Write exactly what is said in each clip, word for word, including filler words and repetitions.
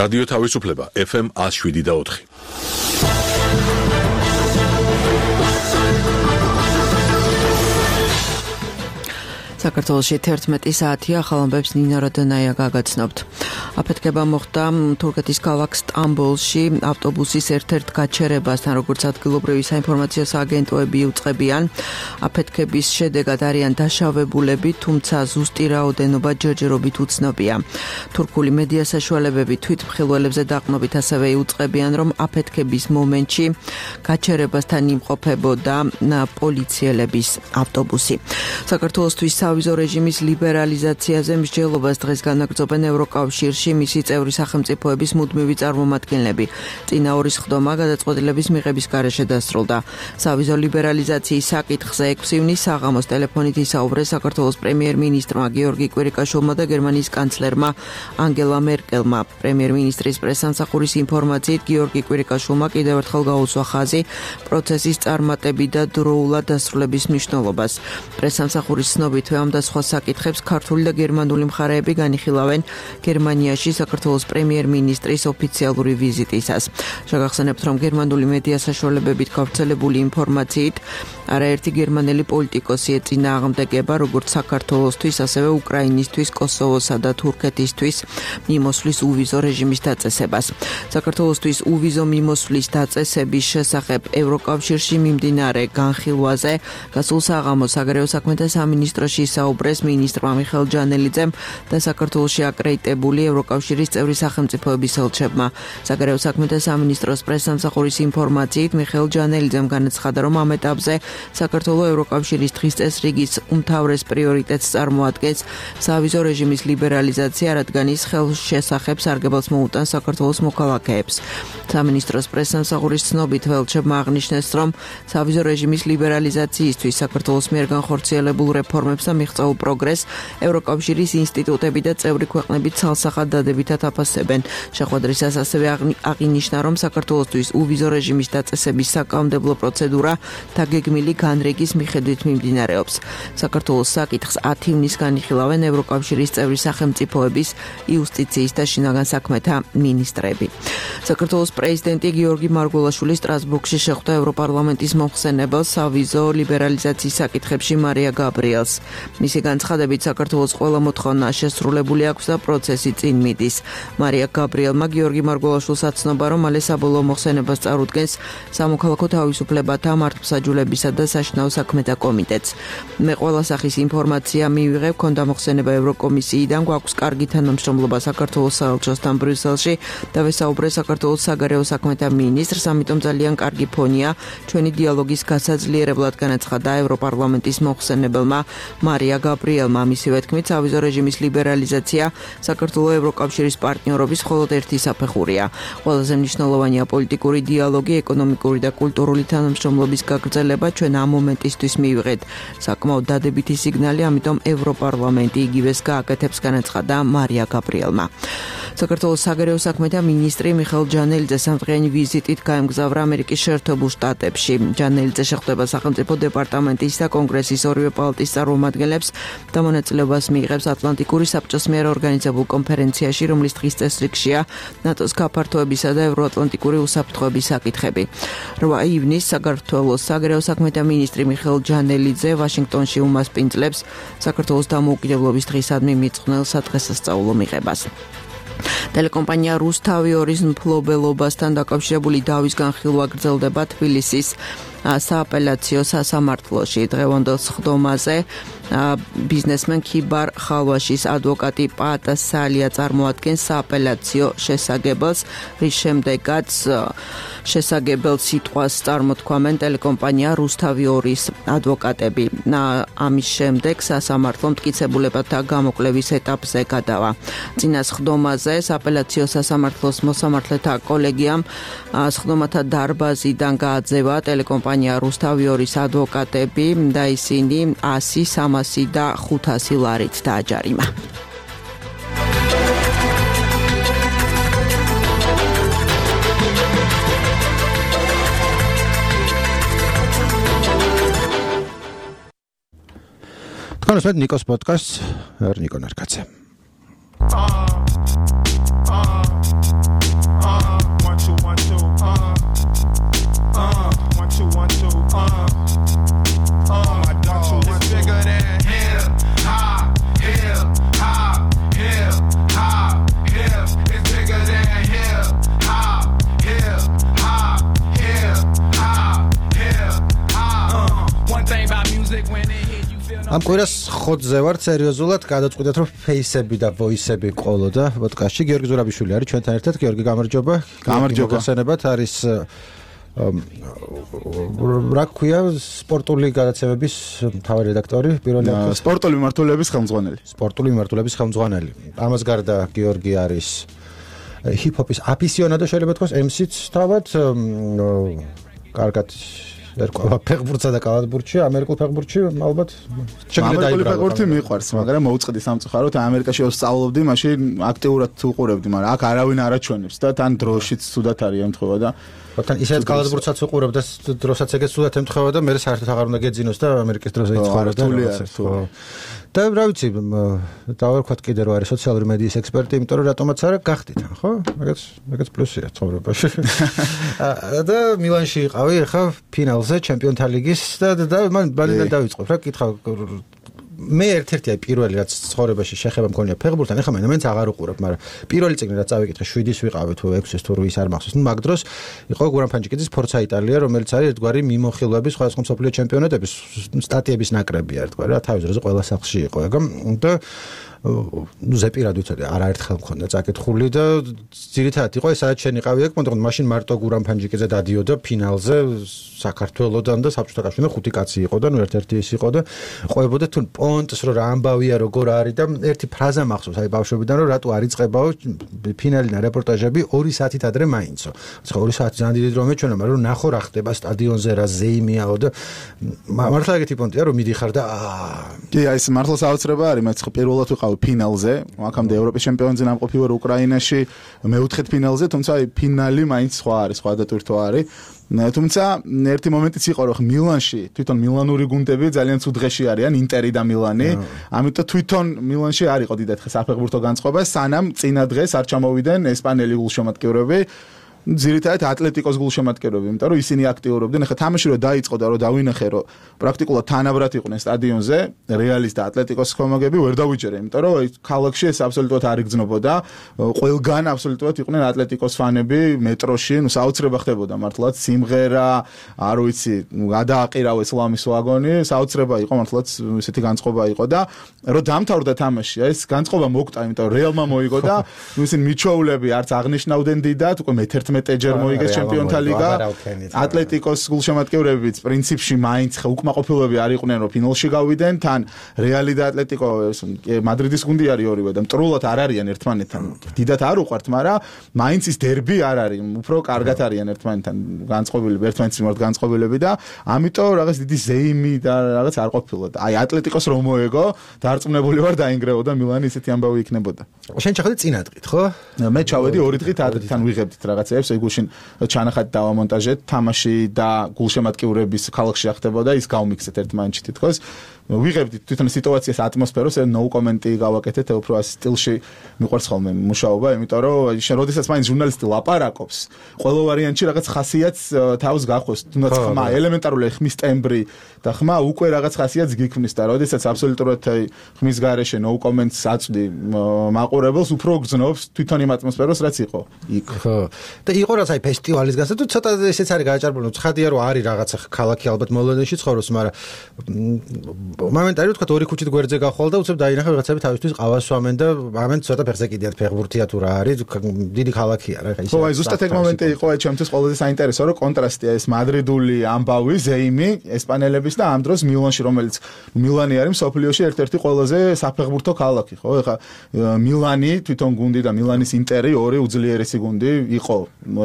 რადიო თავისუფლება ეფ ემ one oh seven და four. საქართველოში თერთმეტი საათია, ახალ ამბებს ნინა როდონაია გაგაცნობთ. აფეთქება მოხდა თურქეთის ქალაქ სტამბოლში ავტობუსის ერთ-ერთ გაჩერებასთან, როგორც ადგილობრივი საინფორმაციო სააგენტოები უწყებიან. აფეთქების შედეგად არიან დაშავებულები, თუმცა ზუსტი რაოდენობა ჯერჯერობით უცნობია. თურქული მედია საშუალებები თვითმხილველებზე დაყრდნობით ასევე იუწყებიან, რომ აფეთქების მომენტში გაჩერებასთან იმყოფებოდა პოლიციელების ავტობუსი. საქართველოსთვის სავიზო რეჟიმის ლიბერალიზაციაზე მსჯელობას დღეს განაგრძობენ ევროკავშირში მისი წევრი სახელმწიფოების მუდმივი წარმომადგენლები. წინა ორის ხდომა გადაწყვეტილების მიღების გარეშე დასრულდა. სავიზო ლიბერალიზაციის საკითხზე ექვსი ივნის საღამოს ტელეფონით ისაუბრეს საქართველოს პრემიერ-მინისტრმა გიორგი კვირიკაშვილმა და გერმანიის კანცლერმა ანგელა მერკელმა. პრემიერ-მინისტრის პრესსამსახურის ინფორმაციით გიორგი კვირიკაშვილმა კიდევ ერთხელ გაუსვა ხაზი პროცესის წარმატები და დროულად დასრულების მნიშვნელობას. პრესსამსახურის ცნობით ამ და სხვა საკითხებს ქართული და გერმანული მხარეები განიხილავენ გერმანიაში საქართველოს პრემიერ-მინისტრის ოფიციალური ვიზიტისას. შეგახსენებთ, რომ გერმანული მედია საშუალებებით გავრცელებული ინფორმაციით არაერთი გერმანელი პოლიტიკოსი ეწინააღმდეგება როგორც საქართველოსთვის, ასევე უკრაინისთვის, კოსოვოსა და თურქეთისთვის მიმოსვლის უვიზო რეჟიმის დაწესებას. საქართველოსთვის უვიზო მიმოსვლის დაწესების შესახებ ევროკავშირში მიმდინარე განხილვაზე გასულ საღამოს საგარეო საქმეთა სამინისტროში საუბრეს მინისტრმა მიხეილ ჯანელიძემ და საქართველოში აკრედიტებული ევროკავშირის წევრი სახელმწიფოების ელჩებმა. საგარეო საქმეთა სამინისტროს პრესსამსახურის ინფორმაციით მიხეილ ჯანელიძემ განაცხადა, რომ ამ ეტაპზე საქართველოს ევროკავშირის დღის წესრიგის უმთავრეს პრიორიტეტს წარმოადგენს სავიზო რეჟიმის ლიბერალიზაცია, რადგან ის ხელშესახებ სარგებელს მოუტანს საქართველოს მოქალაქეებს. სამინისტროს პრესსამსახურის ცნობით ელჩებმა აღნიშნეს, რომ სავიზო რეჟიმის ლიბერალიზაციისთვის საქართველოს მიერ განხორციელებულ რეფორმებს და მიღწეულ პროგრესს ევროკავშირის ინსტიტუტები და წევრი ქვეყნები ცალსახად დადებითად აფასებენ. შეხვედრისას ასევე აღინიშნა, რომ საქართველოსთვის უვიზო რეჟიმის დაწესების საკანონმდებლო პროცედურა დაგეგმილი განრიგის მიხედვით მიმდინარეობს. საქართველოს საკითხს ათი ივნის განიხილავენ ევროკავშირის წევრი სახელმწიფოების იუსტიციის და შინაგან საქმეთა მინისტრები. საქართველოს პრეზიდენტი გიორგი მარგველაშვილი სტრასბურგში შეხვდა ევროპარლამენტის მომხსენებელ სავიზო ლიბერალიზაციის საკითხებში მარია გაბრიელს. მისი განცხადებით საქართველოს ყველა მოთხოვნა შესრულებული აქვს და პროცესი წინ მიდის. მარია გაბრიელმა გიორგი მარგველაშვილს აცნობა, რომ მალე საბოლოო მოხსენებას წარუდგენს სამოქალაქო თავისუფლებათა მართლმსაჯულებისა და საშინაო საქმეთა კომიტეტს. მე ყველა სახის ინფორმაცია მივიღებ, ქონდა მოხსენება ევროკომისიიდან, გვაქვს კარგი თანამშრომლობა საქართველოს საელჩოსთან ბრიუსელში და ვესაუბრე საქართველოს საგარეო საქმეთა მინისტრს, ამიტომ ძალიან კარგი ფონია ჩვენი დიალოგის გასაძლიერებლად, განაცხადა ევროპარლამენტის მომხსენებელმა მარია გაბრიელმა. მისივე თქმით, სავიზო რეჟიმის ლიბერალიზაცია საქართველოს ევროკავშირის პარტნიორობის მხოლოდ ერთი საფეხურია. ყველაზე მნიშვნელოვანია პოლიტიკური დიალოგი, ეკონომიკური და კულტურული თანამშრომლობის გაგრძელება. ჩვენ ამ მომენტისთვის მივიღეთ საკმაოდ დადებითი სიგნალი, ამიტომ ევროპარლამენტი იგივეს გააკეთებს, განაცხადა მარია გაბრიელმა. საქართველოს საგარეო საქმეთა მინისტრი მიხეილ ჯანელიძე სამდღიანი ვიზიტით გაემგზავრა ამერიკის შეერთებულ შტატებში. ჯანელიძე შეხვდება სახელმწიფო დეპარტამენტის და კონგრესის ორივე პალატის წარმომადგენლებს და მონაწილეობას მიიღებს ატლანტიკური საბჭოს მიერ ორგანიზებულ კონფერენციაში, რომლის დღის წესრიგშია ნატოს გაფართოებისა და ევროატლანტიკური უსაფრთხოების საკითხები. რვა ივნის საქართველოს საგარეო საქმეთა მინისტრი მიხეილ ჯანელიძე ვაშინგტონში უმასპინძლებს საქართველოს დამოუკიდებლობის დღისადმი მიწყვნელ სადღესასწაულო მიღებას. ტელეკომპანია რუსთავი ორის მფლობელობასთან დაკავშირებული დავის განხილვა გრძელდება თბილისის სააპელაციო სასამართლოში. დღევანდელ სხდომაზე ბიზნესმენ ქიბარ ხალვაშის ადვოკატი პაატა სალია წარმოადგენს სააპელაციო შესაგებელს, რის შემდეგაც შესაგებელ სიტყვას წარმოთქვამენ ტელეკომპანია რუსთავი ორის ადვოკატები. ამის შემდეგ სასამართლო მტკიცებულებათა გამოკვლევის ეტაპზე გადავა. წინა სხდომაზე სააპელაციო სასამართლოს მოსამართლეთა კოლეგიამ სხდომათა დარბაზიდან გააძევა ტელეკომპანია რუსთავი ორის ადვოკატები და ისინი ასი, სამასი და ხუთასი ლარით დააჯარიმა. Თქვენს ნიკოს პოდკასტს, ნიკო ნარკაცე. ამ კვირას ხოთზე ვარ სერიოზულად გადაწყვიტეთ რომ ფეისები და ვოისები ყოლოდა პოდკასტში გიორგი ზურაბიშვილი არის ჩვენთან ერთად გიორგი გამარჯობა გამარჯობა გასანებად არის რა ქვია სპორტული გადაცემების მთავარი რედაქტორი პირველი სპორტული მიმართულების ხელმძღვანელი სპორტული მიმართულების ხელმძღვანელი ამას გარდა გიორგი არის ჰიპ-ჰოპის აფისიონადო შეიძლება თქვას ემსიც თავად კარგად ერკვევა ფეხბურთსა და კალათბურთში, ამერიკულ ფეხბურთში ალბათ შეგიძლია დაიბრალო. ამერიკული ფეხბურთი მიყვარს, მაგრამ მოუწყდი სამწუხაროდ ამერიკაში ვსწავლობდი, მაშინ აქტიურად უყურებდი, მაგრამ აქ არავინ არ აჩვენებს და თან დროშიც ცუდად არის ემთხვევა და თან ისეთ კალათბურთსაც უყურებ და დროსაც ეგეც ცუდად ემთხვევა და მე საერთოდ აღარ უნდა გეძინოს და ამერიკის დროზე იცხოვრებ და და რა ვიცი დავერქვათ კიდე რომ არის სოციალური მედიის ექსპერტი, იმიტომ რომ რატომაც არა გახდით, ხო? მაგაც მაგაც პლუსია ცხოვრებაში. და მილანში იყავი ახლა ფინალზე ჩემპიონთა ლიგის და და მან ბალიდან დავიწყო რა კითხა მე ერთ-ერთი აი პირველი რაც ცხოვრებაში შეხება მქონია ფეხბურთთან, ეხლა მე მეც აღარ უყურებ, მაგრამ პირველი წიგნი რაც წავიკითხე შვიდის ვიყავი თუ ექვსის თუ რვის არ მახსოვს. ნუ მაგ დროს იყო გურამ ფანჯიკიძის ფორცა იტალია, რომელიც არის ერთგვარი მიმოხილვების სხვადასხვა მსოფლიო ჩემპიონატების სტატიების ნაკრებია ერთგვარი რა თავის დროზე ყველა სახლში იყო ეგა და ნუ ზეპირად ვიცოდი არაერთხელ მქონდა წაკითხული და ძირითადად იყო სადაც შენიყავი ეგ მოდი მაშინ მარტო გურამ ფანჯიკიძე დადიოდა ფინალზე საქართველოსთან და საბჭოთა კავშირთან ხუთი კაცი იყო და ნუ ერთ-ერთი ის იყო და ყვებოდა თუ პონტს რომ რა ამბავია როგორ არის და ერთი ფრაზა მახსოვს აი ბავშვობიდან რომ რატო არ იწყებაო ფინალინა რეპორტაჟები ორი საათით ადრე მაინცო ხო ორი საათი ძალიან დიდი დრო მეჩვენა მაგრამ ნახო რა ხდება სტადიონზე რა ზეიმიაო და მართლა ეგეთი პონტია რომ მიდიხარ და აა კი აი ეს მართლა საოცრება არის მეც ხო პირველად ვიყავ ფინალზე, აქამდე ევროპის ჩემპიონზე ნამყოფი ვარ უკრაინაში, მეოთხედ ფინალზე, თუმცა აი ფინალი მაინც სხვა არის, სხვა დატვირთვა არის. თუმცა ერთი მომენტიც იყო რომ მილანში თვითონ მილანური გუნდები ძალიან ცუდ დღეში არიან, ინტერი და მილანი, ამიტომ თვითონ მილანში არ იყო დიდად საფეხბურთო განწყობა, სანამ წინა დღეს არ ჩამოვიდნენ ესპანელი გულშემატკივრები. ძირითადად ატლეტიკოს გულშემატკივრები, იმიტომ რომ ისინი აქტიურობდნენ. ახლა თამაში რო დაიწყო და რო დავინახე, რომ პრაქტიკულად თანაბრად იყვნენ სტადიონზე, რეალის და ატლეტიკოს ხომაგები ვერ დავიჯერე, იმიტომ რომ ქალაქში ეს აბსოლუტურად არ იგრძნობოდა. ყველგან აბსოლუტურად იყვნენ ატლეტიკოს ფანები მეტროში, ნუ საოცრება ხდებოდა მართლაც სიმღერა, არ ვიცი, გადააყირავეს ლამის ვაგონი, საოცრება იყო მართლაც ესეთი განწყობა იყო და რო დამთავრდა თამაში, ეს განწყობა მოკტა, იმიტომ რომ რეალმა მოიგო და ნუ ისინი მიჩვეულები არც აღნიშნავდნენ დიდად, უკვე მეთერთმეტე მეტეჯერ მოიგეს ჩემპიონთა ლიგა ატლეტიკოს გულშემატკივრებიც პრინციპში მაინც უკმაყოფილოები არ იყვნენ რომ ფინალში გავიდნენ თან რეალი და ატლეტიკო მადრიდის გუნდი არის ორივე და მტრულად არ არიან ერთმანეთთან დიდად არ უყვართ მაგრამ მაინც ის დერბი არ არის უფრო კარგად არიან ერთმანეთთან განწყობილები ერთმანეთის მიმართ განწყობილები და ამიტომ რაღაც დიდი ზეიმი და რაღაც არ ყოფილა და აი ატლეტიკოს რომ მოეგო დარწმუნებული ვარ დაინგრეოდა მილანი ისეთი ამბავი იქნებოდა შენ ჩახედე წინა დღით ხო მე ჩავედი ორი დღით ადრიდან ვიღებდით რაღაცა ეს გულშინ ჩანახად დავამონტაჟეთ თამაში და გულშემატკივრების ქალაქში ახდებოდა ის გავმიქსეთ ერთმანეთში თითქოს ვიღებდით თვითონ სიტუაციას ატმოსფეროს ნო კომენტი გავაკეთეთ უფრო ამ სტილში მიყვარს ხოლმე მუშაობა იმიტომ რომ შენ როდესაც მაინც ჟურნალისტი ლაპარაკობს ყოველ ვარიანტში რაღაც ხასიათს თავს გახვევს თუნდაც ხმა ელემენტარული ხმის ტემბრი და ხმა უკვე რაღაც ხასიათს გიქმნის და როდესაც აბსოლუტურად ხმის გარეშე ნო კომენტს აწვდი მაყურებელს უფრო გძნობს თვითონ იმ ატმოსფეროს რაც იყო იქ ხო და იყო რაც აი ფესტივალის გასა თუ ცოტა ესეც არის გააჭარბული ცხადია რომ არის რაღაცა ქალაქი ალბათ მოლოდენში ცხოვრობს მაგრამ მომენტარი ვთქვათ ორი ქუჩით გვერდზე გახვალ და უცებ დაინახე რაღაცები თავისთვის ყავას სვამენ და ამენ ცოტა ფეხზე კიდიათ ფეხბურთია თუ რა არის დიდი ქალაქია რა ისე ხო აი ზუსტად ეგ მომენტი იყო აი ჩემთვის ყველაზე საინტერესო რომ კონტრასტია ეს მადრიდული ამბავი ზეიმი ესპანელების და ამ დროს მილანში რომელიც მილანი არის მსოფლიოში ერთ-ერთი ყველაზე საფეხბურთო ქალაქი ხო ეხა მილანი თვითონ გუნდი და მილანის ინტერი ორი უძლიერესი გუნდი იყო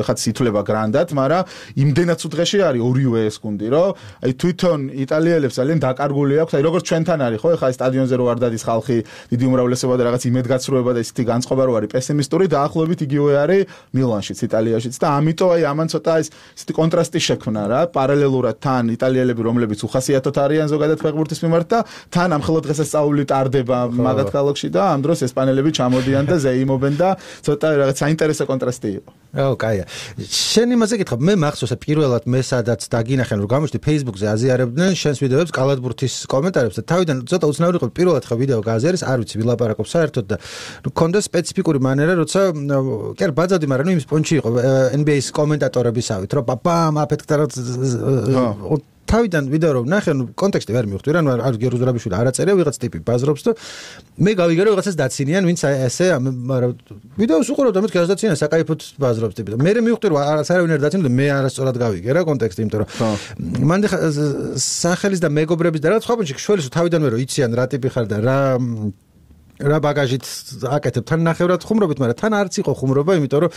ეხა ითვლება გრანდად მაგრამ იმდენად უძღეში არის ორივე ეს გუნდი რომ აი თვითონ იტალიელებს ძალიან დაკარგული აქვს აი როგორც ჩვენთან არის ხო ეხა სტადიონზე რო არ დადის ხალხი დიდი უმრავლესობა და რაღაც იმედგაცრუება და ისეთი განწყობა რო არის პესიმისტური დაახლოებით იგივე არის მილანშიც იტალიაშიც და ამიტომ აი ამან ცოტა ეს ისეთი კონტრასტი შექმნა რა პარალელურად თან იტალიელები რომლებიც უხასიათოდ არიან ზოგადად ფეხბურთის მიმართ და თან ამხელო დღესასწაული ტარდება მაგათ ქალაქში და ამ დროს ესპანელები ჩამოდიან და ზეიმობენ და ცოტა რაღაც საინტერესო კონტრასტი იყო ო კაია შენ იმაზე გითხრა მე მახსოვს პირველად მე სადაც დაგინახენ რომ გამოჩდი Facebook-ზე აზიარებდნენ შენს ვიდეოებს კალათბურთის კომენტარებს და თავიდან ცოტა უცნაური იყო პირველად ხა ვიდეო გააზიარეს არ ვიცი ვილაპარაკობ საერთოდ და მქონდა სპეციფიკური მანერა როცა კი არ ბაძავდი მაგრამ იმ სპონჩი იყო N B A-ის კომენტატორებისავით რომ პაპამ აფეთქდა თავიდან ვიდეო რომ ნახე, ნუ კონტექსტი ვერ მივხვდი რა, ნუ არ გერუზრაბიშვილი არ აწერია, ვიღაც ტიპი ბაზრობს და მე გავიგე რომ ვიღაცას დაცინიან, ვინც ესე, მაგრამ ვიდეოს უყურებ და მეთქი დაცინიან, საკაიფოდ ბაზრობს ტიპი და მე მივხვდი რომ არავინ არ დაცინდა, მე არასწორად გავიგე რა კონტექსტი, იმიტომ რომ მანდ სახელის და მეგობრების და რაღაც სხვა პუნქტში შველის თავიდანვე რომ იციან რა ტიპი ხარ და რა რა ბაგაჟით აკეთებ თან ნახევრად ხუმრობით, მაგრამ თან არც იყო ხუმრობა, იმიტომ რომ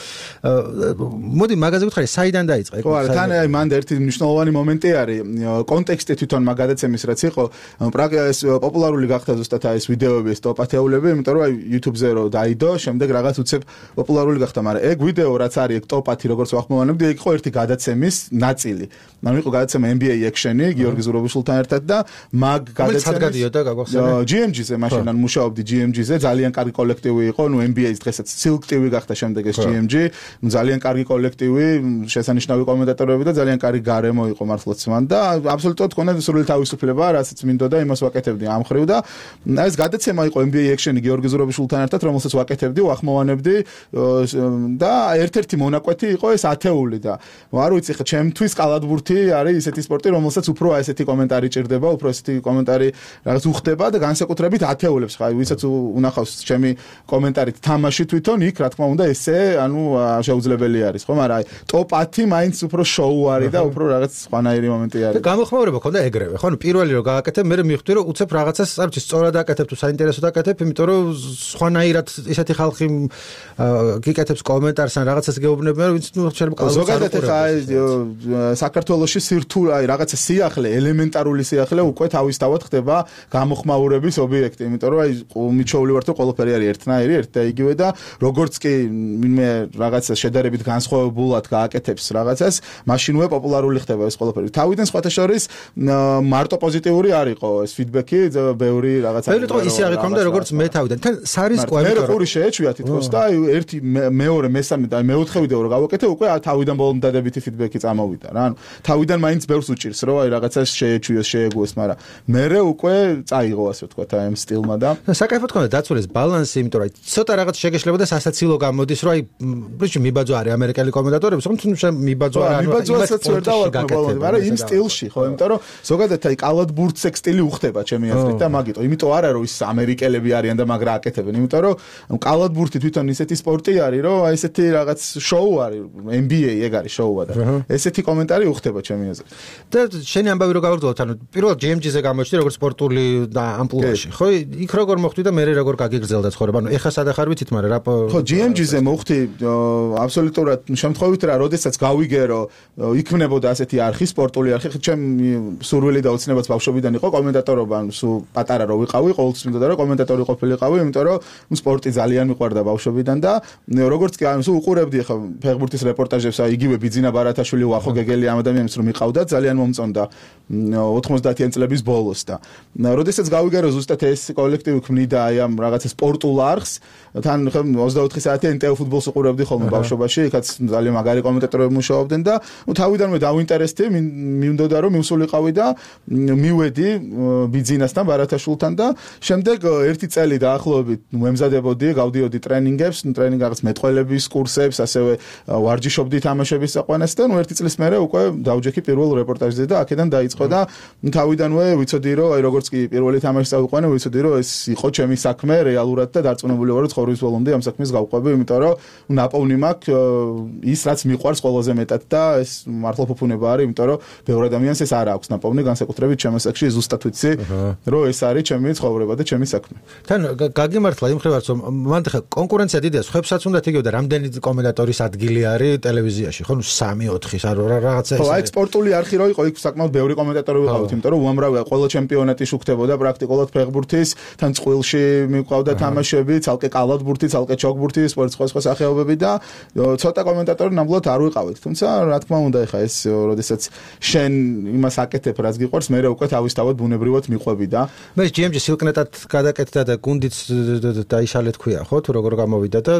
მოდი მაგაზე ვითხარი, საიდან დაიწყე? ხო, არა, თან აი მანდ ერთი მნიშვნელოვანი მომენტი არის, კონტექსტი თვითონ მაგადაცემის რაც იყო, პრაქტიკას პოპულარული გახდა ზუსტად აი ეს ვიდეოები, ეს ტოპ-ათეულები, იმიტომ რომ აი YouTube-ზე რო დაიდო, შემდეგ რაღაც უცებ პოპულარული გახდა, მაგრამ ეგ ვიდეო რაც არის ეგ ტოპ-ათი როგორც ვახმოვანებდი, ეგ იყო ერთი გადაცემის ნაწილი. ანუ იყო გადაცემა N B A Action-ი, გიორგი ზურაბიშვილთან ერთად და მაგ გადაცემის გადადიოდა გაგახსენე? G M G-ზე მაშინ ან მუშაობდი G M G-ზე, ძალიან კარგი კოლექტივი იყო, ნუ N B A-ის დღესაც სილექტივი გახდა შემდეგ ეს G M G, ნუ ძალიან კარგი კოლექტივი, შესანიშნავი კომენტატორები და ძალიან კარგი გარემო იყო მართლაც მან და აბსოლუტურად ქონდა სრული თავისუფლება, რასაც მინდოდა იმას ვაკეთებდი ამ ხრივ და ეს გადაცემა იყო N B A Action-ი გიორგი ზურაბიშვილთან ერთად, რომელსაც ვაკეთებდი, ვახმოვანებდი და ერთ-ერთი მონაკვეთი იყო ეს ათეული და არ ვიცი ხა ჩემთვის კალათბურთი არის ისეთი სპორტი, რომელსაც უფრო ესეთი კომენტარი ჭირდება, უფრო ესეთი კომენტარი რაღაც უხდება და განსაკუთრებით ათეულებს ხა ვისაც უნახავს ჩემი კომენტარით თამაში თვითონ იქ რა თქმა უნდა ესე ანუ შეუძლებელი არის ხო, მაგრამ აი ტოპ ათი მაინც უფრო შოუ არის და უფრო რაღაც სხვანაირი მომენტი არის. გამოხმაურება ქონდა ეგრევე, ხო, ნუ პირველი რომ გააკეთებ, მე მივხვდი რომ უცებ რაღაცას არ ვიცი, სწორად აკეთებ თუ საინტერესოდ აკეთებ, იმიტომ რომ სხვანაირად ისეთი ხალხი გიკეთებს კომენტარს ან რაღაცას გეუბნებიან, რომ ვინც ნუ შეიძლება ზოგადად ხა საქართველოში სირთულე აი რაღაცა სიახლე, ელემენტარული სიახლე უკვე თავისთავად ხდება გამოხმაურების ობიექტი, იმიტომ რომ აი მიჩოული ვარ თუ ყველაფერი არის ერთნაირი, ერთ და იგივე და როგორც კი ვინმე რაღაცა შედარებით განსხვავებულად გააკეთებს რაღაცას, მაშინვე პოპულარული ხდება ეს ყველაფერი. თავიდან სხვათა შორის მარტო პოზიტიური არ იყო ეს ფიდბექი, ბევრი რაღაცა. ბევრი თქო ისე არ იქონდა როგორც მე თავიდან. თან სარისკოა მე ყური შეეჩვია თითქოს და აი ერთი მეორე მესამე და მეოთხე ვიდეო რო გავაკეთე, უკვე თავიდან ბოლომდე დადებითი ფიდბექი წამოვიდა რა. ანუ თავიდან მაინც ბევრს უჭირს რომ აი რაღაცას შეეჩვიოს, შეეგუოს, მაგრამ მერე უკვე წაიღო ასე ვთქვათ აი ამ სტილმა და საკაიფოდ ქონდა დაცული ეს ბალანსი, იმიტომ რომ ცოტა რაღაც შეგეშლებოდა სასაცილო გამოდის, რომ აი პრინციპი მიბაძვა არის ამერიკელი კომენტატორები, თუმცა მიბაძვა არა, მიბაძვასაც ვერ დავაკმაყოფილებ, მაგრამ იმ სტილში ხო, იმიტომ რომ ზოგადად აი კალათბურთს ეგ სტილი უხდება ჩემი აზრით და მაგიტო, იმიტომ არა რომ ის ამერიკელები არიან და მაგრა აკეთებენ, იმიტომ რომ კალათბურთი თვითონ ისეთი სპორტი არის, რომ აი ესეთი რაღაც შოუ არის, N B A ეგ არის შოუა და ესეთი კომენტარი უხდება ჩემი აზრით. და შენი ამბავი რო გავაგრძელოთ, ანუ პირველ G M G-ზე გამოჩნდი როგორც სპორტული და ამპლუაში, ხო? იქ როგორ მოხვდი და მე როგორ გაგიგრძელდა ცხოვრება, ანუ ეხა სადა ხარ ვიცით, მაგრამ რა ხო G M G-ზე მოხვდი აბსოლუტურად შემთხვევით რა, როდესაც გავიგე რომ იქმნებოდა ასეთი არხი, სპორტული არხი, ჩემი სურვილი და ოცნებაც ბავშვობიდან იყო კომენტატორობა, ანუ სულ პატარა რო ვიყავი, ყოველთვის მინდოდა რომ კომენტატორი ყოფილიყავი, იმიტომ რომ სპორტი ძალიან მიყვარდა ბავშვობიდან და როგორც კი ანუ სულ უყურებდი ხა ფეხბურთის რეპორტაჟებს, აი იგივე ბიძინა ბარათაშვილი, ვახო გეგელი ამ ადამიანებს რომ მიყავდა, ძალიან მომწონდა ოთხმოცდაათიან წლების ბოლოს და როდესაც გავიგე რომ ზუსტად ეს კოლექტივი ქმნიდა აი ამ რაღაცა სპორტულ არხს, თან ხა ოცდაოთხი საათი N T V ფუტბოლს უყურებდი ხოლმე ბავშვობაში, იქაც ძალიან მაგარი კომენტატორები მუშაობდნენ და ნუ თავიდანვე დავინტერესდი, მინდოდა რომ მივსულიყავი და მივედი ბიძინასთან ბარათაშვილთან და შემდეგ ერთი წელი დაახლოებით მემზადებოდი, გავდიოდი ტრენინგებს, ტრენინგ რაღაც მეტყველების კურსებს, ასევე ვარჯიშობდი თამაშების საყვანას და ნუ ერთი წლის მერე უკვე დავჯექი პირველ რეპორტაჟზე და აქედან დაიწყო და თავიდანვე ვიცოდი რომ აი როგორც კი პირველი თამაში წავიყვანე, ვიცოდი რომ ეს იყო ჩემი საქმე რეალურად და დარწმუნებული ვარ რომ ცხოვრების ბოლომდე ამ საქმეს გავყვები, იმიტომ რომ ნაპოვნი მაქვს ის რაც მიყვარს ყველაზე მეტად და ეს მართლა ფუფუნება არის, იმიტომ რომ ბევრ ადამიანს ეს არ აქვს ნაპოვნი, განსაკუთრებით ჩემს საქმეში ზუსტად ვიცი რომ ეს არის ჩემი ცხოვრება და ჩემი საქმე. თან გაგიმართლა იმ ხრივაც რომ მანდ ხა კონკურენცია დიდია, ხებსაც უნდა იგივე და რამდენი კომენტატორის ადგილი არის ტელევიზიაში, ხო, ნუ სამი ოთხი რაღაცა ეს. ხო, აი სპორტული არხი რო იყო, იქ საკმაოდ ბევრი კომენტატორი ვიყავით, იმიტომ რომ უამრავია ყველა ჩემპიონატი შუქდებოდა პრაქტიკულად ფეხბურთის, თან წყვილში მიყვავდა თამაშები, ცალკე კალათბურთი, ცალკე ჩოგბურთი, სპორტის სხვა სხვა სახეობები და ცოტა კომენტატორი ნამდვილად არ ვიყავით. თუმცა რა თქმა უნდა ეხა ეს როდესაც შენ იმას აკეთებ, რაც გიყვარს, მე უკვე თავისთავად ბუნებრივად მიყვები და მე G M G სილკნეტად გადაკეთდა და გუნდიც დაიშალე თქვია, ხო, თუ როგორ გამოვიდა და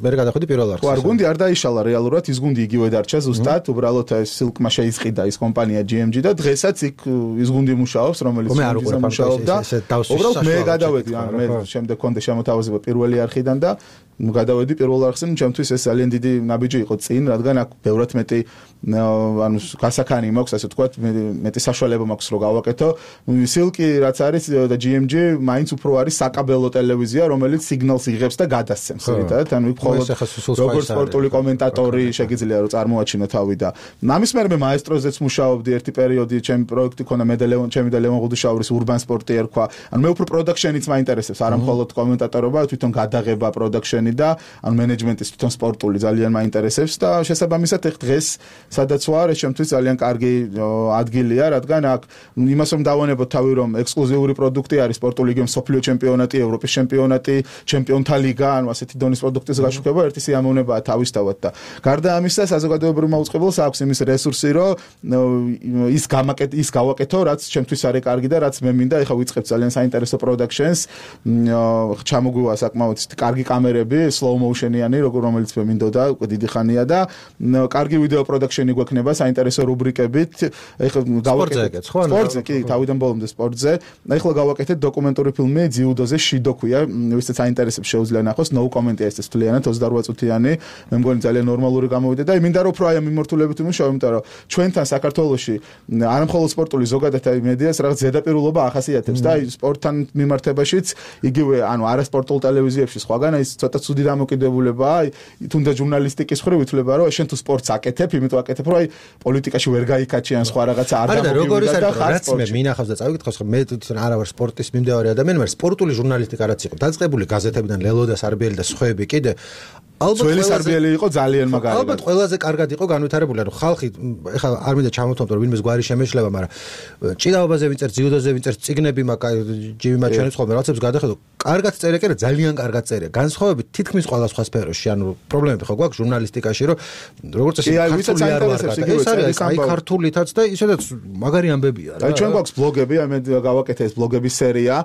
მე გადახვედი პირველ არხს. ხო, არ გუნდი არ დაიშალა რეალურად, ის გუნდი იგივე დარჩა ზუსტად, უბრალოდ ეს სილკმა შეისყიდა ის კომპანია G M G და დღესაც იქ ის გუნდი მუშაობს, რომელიც მუშაობდა. უბრალოდ მე გადავედი, ან მე შემდეგ კონდე შემოთავაზება პირველი არხიდან და გადავედი პირველ არხზე, ჩემთვის ეს ძალიან დიდი ნაბიჯი იყო წინ, რადგან აქ ბევრად მეტი ანუ გასახანი მაქვს, ასე ვთქვათ, მეტი საშუალება მაქვს რომ გავაკეთო. სილკი რაც არის და ჯი եմ ჯი მაინც უფრო არის საკაბელო ტელევიზია, რომელიც სიგნალს იღებს და გადასცემს, ერთად, ანუ მხოლოდ როგორც სპორტული კომენტატორი შეგიძლია რომ წარმოაჩინო თავი და ამის მერე მე მაესტროზეც მუშაობდი ერთი პერიოდი, ჩემი პროექტი ქონა მე და ლევონ, ჩემი და ლევონ ღუდუშაურის urban sport-ი ერქვა. ანუ მე უფრო production-იც მაინტერესებს, არა მხოლოდ კომენტატორობა, თვითონ გადაღება, production-ი და ანუ მენეჯმენტის თვითონ სპორტული ძალიან მაინტერესებს და შესაბამისად ეხ დღეს სადაც ვარ, ეს ჩემთვის ძალიან კარგი ადგილია, რადგან აქ იმას რომ დავანებოთ თავი რომ ექსკლუზიური პროდუქტი არის სპორტული გემ სოფლიო ჩემპიონატი, ევროპის ჩემპიონატი, ჩემპიონთა ლიგა, ანუ ასეთი დონის პროდუქტის გაშუქება ერთი სიამოვნებაა თავისთავად და გარდა ამისა საზოგადოებრივ მაუწყებელს აქვს იმის რესურსი, რომ ის გამაკეთ ის გავაკეთო, რაც ჩემთვის არის კარგი და რაც მე მინდა, ეხლა ვიწყებ ძალიან საინტერესო productions, ჩამოგვივა საკმაოდ კარგი კამერები, slow motion-იანი, რომელიც მე მინდოდა უკვე დიდი ხანია და კარგი ვიდეო production-ი გვექნება საინტერესო რუბრიკებით. ეხლა გავაკეთეთ სპორტზე, კი, თავიდან ბოლომდე სპორტზე. ეხლა გავაკეთეთ დოკუმენტური ფილმი ძიუდოზე შიდოქვია, ვისაც საინტერესებს შეუძლია ნახოს, no comment-ია ეს თვლიანად ოცდაოთხ წუთიანი. მე მგონი ძალიან ნორმალური გამოვიდა და მინდა რომ უფრო აი მიმართულებით ვიმუშაო, იმიტომ რომ ჩვენთან საქართველოში არა მხოლოდ სპორტული ზოგადად აი მედიას რაღაც ზედაპირულობა ახასიათებს და აი სპორტთან მიმართებაშიც იგივე ანუ არასპორტულ ტელევიზიებში სხვაგან აი ცოტა ცუდი დამოკიდებულებაა, აი თუნდაც ჟურნალისტიკის მხრივ ითვლება რომ შენ თუ სპორტს აკეთებ, იმიტომ აკეთებ რომ აი პოლიტიკაში ვერ გაიქაჩიან სხვა რაღაცა არ დამოკიდებულია და ხარ სპორტში. მე მინახავს და წავიკითხავს რომ მე თვითონ არა ვარ სპორტის მიმდევარი ადამიანი, მაგრამ სპორტული ჟურნალისტიკა რაც იყო დაწყებული გაზეთებიდან ლელო და სარბიელი და სხვაები კიდე ძველი სარბიელი იყო ძალიან მაგარი. ალბათ ყველაზე კარგად იყო განვითარებული, ანუ ხალხი ეხლა არ მინდა ჩამოთვალო რომ ვინმეს გვარი შემეშლება, მაგრამ ჭიდაობაზე ვინწერთ, ძიუდოზე ვინწერთ, წიგნები მაგა ჯიმი მაჩვენებს ხოლმე რაღაცებს გადახედო. კარგად წერია, კი, ძალიან კარგად წერია. განსხვავებით თითქმის ყველა სხვა სფეროში, ანუ პრობლემები ხო გვაქვს ჟურნალისტიკაში, რომ როგორც წესი ქართული არ ვარ. ეს არის აი ქართულითაც და ისედაც მაგარი ამბებია რა. აი ჩვენ გვაქვს ბლოგები, აი მე გავაკეთე ეს ბლოგების სერია,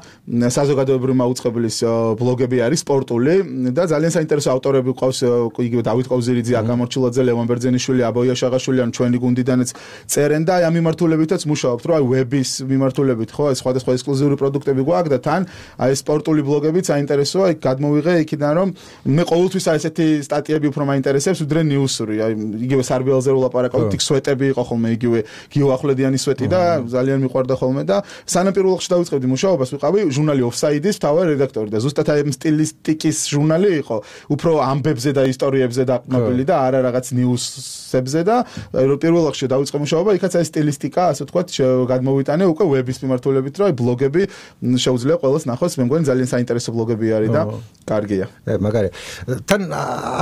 საზოგადოებრივი მაუწყებლის ბლოგები არის სპორტული და ძალიან საინტერესო ავტორები ყავს იგივე დავით ყოვზირიძე, აკამორჩილაძე, ლევან ბერძენიშვილი, აბოია შაღაშვილი, ან ჩვენი გუნდიდანაც წერენ და აი ამ მიმართულებითაც მუშაობთ, რომ აი ვების მიმართულებით ხო, ეს სხვადასხვა ექსკლუზიური პროდუქტები გვაქვს და თან აი სპორტული ბლოგებიც საინტერესოა, აი გადმოვიღე იქიდან რომ მე ყოველთვის აი ესეთი სტატიები უფრო მაინტერესებს, ვიდრე ნიუსური, აი იგივე სარბიელზე ვლაპარაკობთ, იქ სვეტები იყო ხოლმე იგივე გიო ახვლედიანის სვეტი და ძალიან მიყვარდა ხოლმე და სანამ პირველ რიგში დავიწყებდი მუშაობას, ვიყავი ჟურნალი ოფსაიდის მთავარი რედაქტორი და ზუსტად აი სტილისტიკის ჟურნალი იყო, უფრო ამბებზე და ისტორიებზე დაყრდნობილი და არა რაღაც ნიუსებზე და პირველ რიგში დავიწყე მუშაობა, იქაც აი სტილისტიკა, ასე ვთქვათ, გადმოვიტანე უკვე ვების მიმართულებით, რომ აი ბლოგები შეუძლია ყველას ნახოს, მე მგონი ძალიან საინტერესო ბლოგები არის და კარგია. მაგარი. თან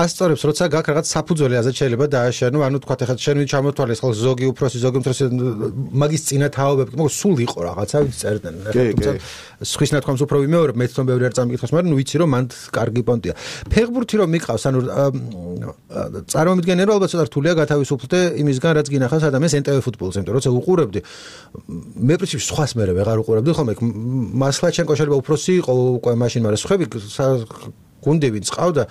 ასწორებს, როცა გაქვს რაღაც საფუძველი, აზრ შეიძლება დააშენო, ანუ თქვათ ახლა შენ ჩამოთვალე ხალხ ზოგი უფროსი, ზოგი უმცროსი მაგის წინა თაობები, მაგრამ სულ იყო რაღაცა ვიცი წერდნენ. თუმცა სხვის ნათქვამს უფრო ვიმეორებ, მე თვითონ ბევრი არ წამიკითხავს, მაგრამ ნუ ვიცი რომ მანდ კარგი პონტია. ფეხბურთი რომ მიყავს, ანუ წარმომიდგენია რომ ალბათ ცოტა რთულია გათავისუფლდე იმისგან რაც გინახავს ადამიანს ენ ტე ვე ფუტბოლს, იმიტომ როცა უყურებდი მე პრინციპში სხვას მე ვეღარ უყურებდი ხოლმე მასლაჩენკო შეიძლება უფროსი იყო უკვე მაშინ, მაგრამ სხვები გუნდი ვინც ყავდა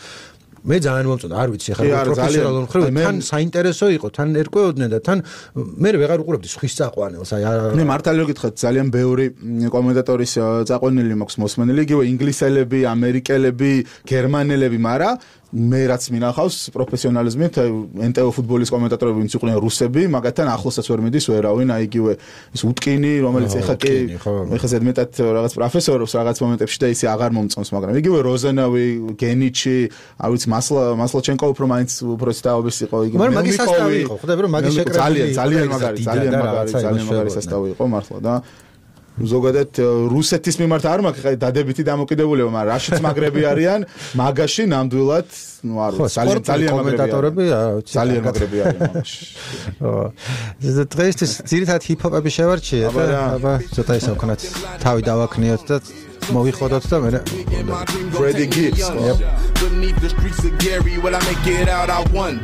მე ძალიან მომწონდა, არ ვიცი ახლა პროფესიონალურ მხრივ თან საინტერესო იყო, თან ერკვეოდნენ და თან მე ვეღარ უყურებდი სხვის წაყვანელს, აი მე მართალი გითხრათ ძალიან ბევრი კომენტატორის წაყვანილი მაქვს მოსმენილი, იგივე ინგლისელები, ამერიკელები, გერმანელები, მაგრამ მე რაც მინახავს პროფესიონალიზმით ენ ტე ვე ფუტბოლის კომენტატორები ვინც იყვნენ რუსები, მაგათთან ახლოსაც ვერ მიდის ვერავინ, აი იგივე ის უტკინი, რომელიც ეხა კი ეხა ზედმეტად რაღაც პროფესორობს რაღაც მომენტებში და ისე აღარ მომწონს, მაგრამ იგივე როზენავი, გენიჩი, არ ვიცი მასლა მასლაჩენკო უფრო მაინც უფროსი თაობის იყო, იგივე მაგრამ მაგის სასტავი იყო, ხვდები რომ მაგის შეკრება ძალიან ძალიან მაგარი, ძალიან მაგარი, ძალიან მაგარი სასტავი იყო მართლა და ზოგადად რუსეთის მიმართ არ მაქვს ხა დადებითი დამოკიდებულება, მაგრამ რაშიც მაგრები არიან, მაგაში ნამდვილად, ну არ ვიცი, ძალიან ძალიან კომენტატორები, ძალიან მაგრები არიან მაგაში. ო დღეისთვის ძირითადად ჰიპ-ჰოპები შევარჩიე და აბა ცოტა ისე ვქნათ თავი დავაქნიოთ და მოვიხოდოთ და მე Freddie Gibbs. Beneath the streets of Gary, when I make it out, I won.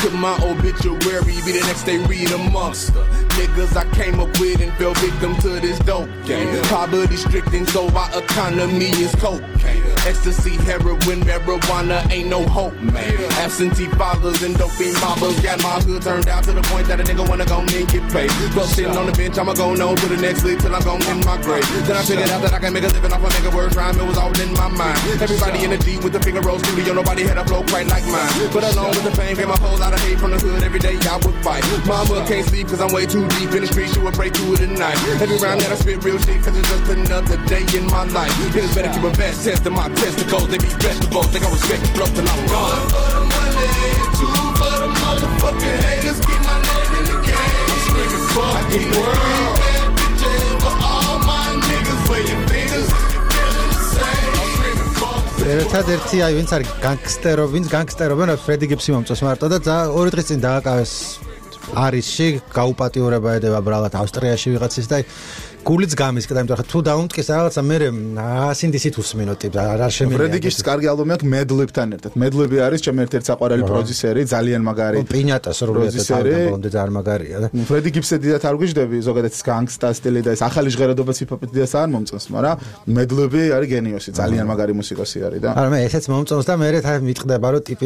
Put my obituary, be the next day read a monster. Niggas I came up with and fell victim to this dope game. Poverty stricken, so our economy is cocaine. Ecstasy, heroin, marijuana, ain't no hope, man. Absentee fathers and dopey mobbers got my hood turned out to the point that a nigga wanna go and get paid. But sitting on the bench, I'ma go on to the next league till I'm gone in my grave. Then I figured out that I can make a living off a nigga word rhyme. It was all in my mind. Everybody in the D with the finger roll studio, nobody had a flow quite like mine. But along with the fame came a whole lot of hate from the hood. Every day I would fight. Mama can't sleep cause I'm way too deep in the street. She would pray through it at night. Every round that I spit real shit cause it's just another day in my life. Niggas better keep a best test of my testicles. They be vegetables. They gon' respect the flow till I'm gone. One for the money, two for the motherfucking haters. Keep my name in the game. I'm screaming fuck the world. Bad bitches for all my niggas. Where your fingers feeling the same. I'm screaming fuck the world. ერთადერთი აი ვინც არის განგსტერო, ვინც განგსტერობენ ფრედი გიბსი მომწონს მარტო და ორი დღის წინ დააკავეს არისში გაუპატიურება ედება ბრალად ავსტრიაში ვიღაცის და გულიც გამისკდა, იმიტომ რომ თუ დაუნტკის რაღაცა მე ასინდისით უსმინო ტიპს არ შემიძლია. ფრედიგის კარგი ალბომი აქვს მედლებთან ერთად. მედლები არის ჩემი ერთ-ერთი საყვარელი პროდიუსერი, ძალიან მაგარი. პინატას როლეთაც ალბომამდე ძალიან მაგარია და ფრედიგისზე დიდად არ გვიждები, ზოგადად განგსტა სტილი და ეს ახალი ჟღერადობაც ჰიპ-ჰოპით დიდას არ მომწონს, მაგრამ მედლები არის გენიოსი, ძალიან მაგარი მუსიკოსი არის და არა მე ესეც მომწონს და მე რა მიტყდება რომ ტიპი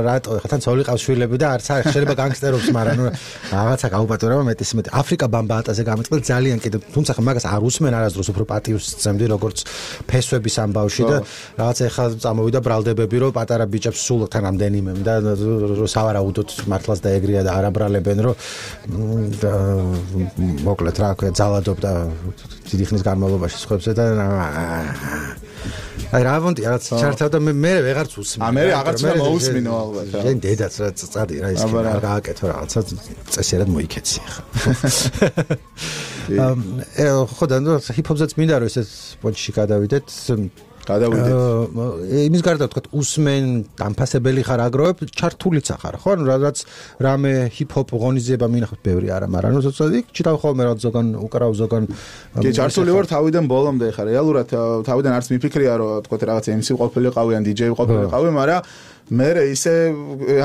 რატო ხა თან ცოლი ყავს შვილები და არც არ შეიძლება განგსტერობს, მაგრამ ნუ რაღაცა გაუპატიურება მეტის მეტი. აფრიკა ბამბაატაზე გამიწყდა ძალიან კიდე თუმცა მაგას არ უსმენ არასდროს უფრო პატივს წემდი როგორც ფესვების ამბავში და რაღაც ეხლა წამოვიდა ბრალდებები რომ პატარა ბიჭებს სულ თან რამდენიმე და სავარაუდოდ მართლაც დაეგრია და არაბრალებენ რომ მოკლედ რა ქვია ძალადობდა დიდი ხნის განმავლობაში სხვებზე და აი რა ვონტი რაღაც ჩართავდა მე მე ვეღარც უსმენ. ა მე აღარც მოусმინო ალბათ. შენ დედაც რა წადი რა ის რა გააკეთო რაღაცა წესიერად მოიქეცი ხა. აა ხო და ნუ ჰიპ-ჰოპზეც მინდა რომ ესეც პონჩში გადავიდეთ. გადავიდეთ. იმის გარდა თქვა უსმენ დამფასებელი ხარ აგროვებ ჩართულიც ახარ ხო? ანუ რაც რამე ჰიპ-ჰოპ ღონისძიება მინახავთ ბევრი არა, მაგრამ ნუ ზოგადად ჩიტავ ხოლმე რა ზოგან უკრავ ზოგან კი ჩართული ვარ თავიდან ბოლომდე ხარ. რეალურად თავიდან არც მიფიქრია რომ თქვა რაღაც ემ სი ყოფილიყავი ან დი-ჯეი ყოფილიყავი, მაგრამ მე ისე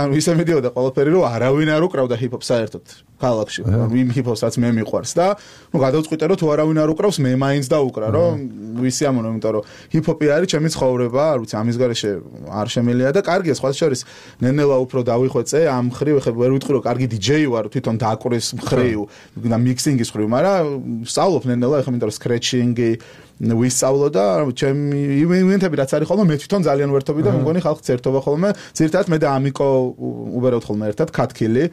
ანუ ისე მიდიოდა ყველაფერი რომ არავინ არ უკრავდა ჰიპ-ჰოპს საერთოდ ქალაქში. იმ ჰიპ-ჰოპსაც მე მიყვარს და ნუ გადავწყვიტე რომ თუ არავინ არ უკრავს მე მაინც დაუკრა რომ ვისი ამონო, იმიტომ რომ ჰიპ-ჰოპი არის ჩემი ცხოვრება, არ ვიცი ამის გარეშე არ შემიძლია და კარგია სხვა შორის ნენელა უფრო დავიხვეწე ამ ხრივ ხე ვერ ვიტყვი რომ კარგი დი-ჯეი ვარ თვითონ დააკვრეს ხრივ და მიქსინგის ხრივ, მაგრამ სწავლობ ნენელა ეხლა იმიტომ რომ სკრეჩინგი ვისწავლო და ჩემი ივენთები რაც არის ხოლმე მე თვითონ ძალიან ვერთობი და მგონი ხალხს ერთობა ხოლმე. ძირითადად მე და ამიკო უბერავთ ხოლმე ერთად ქათქილი,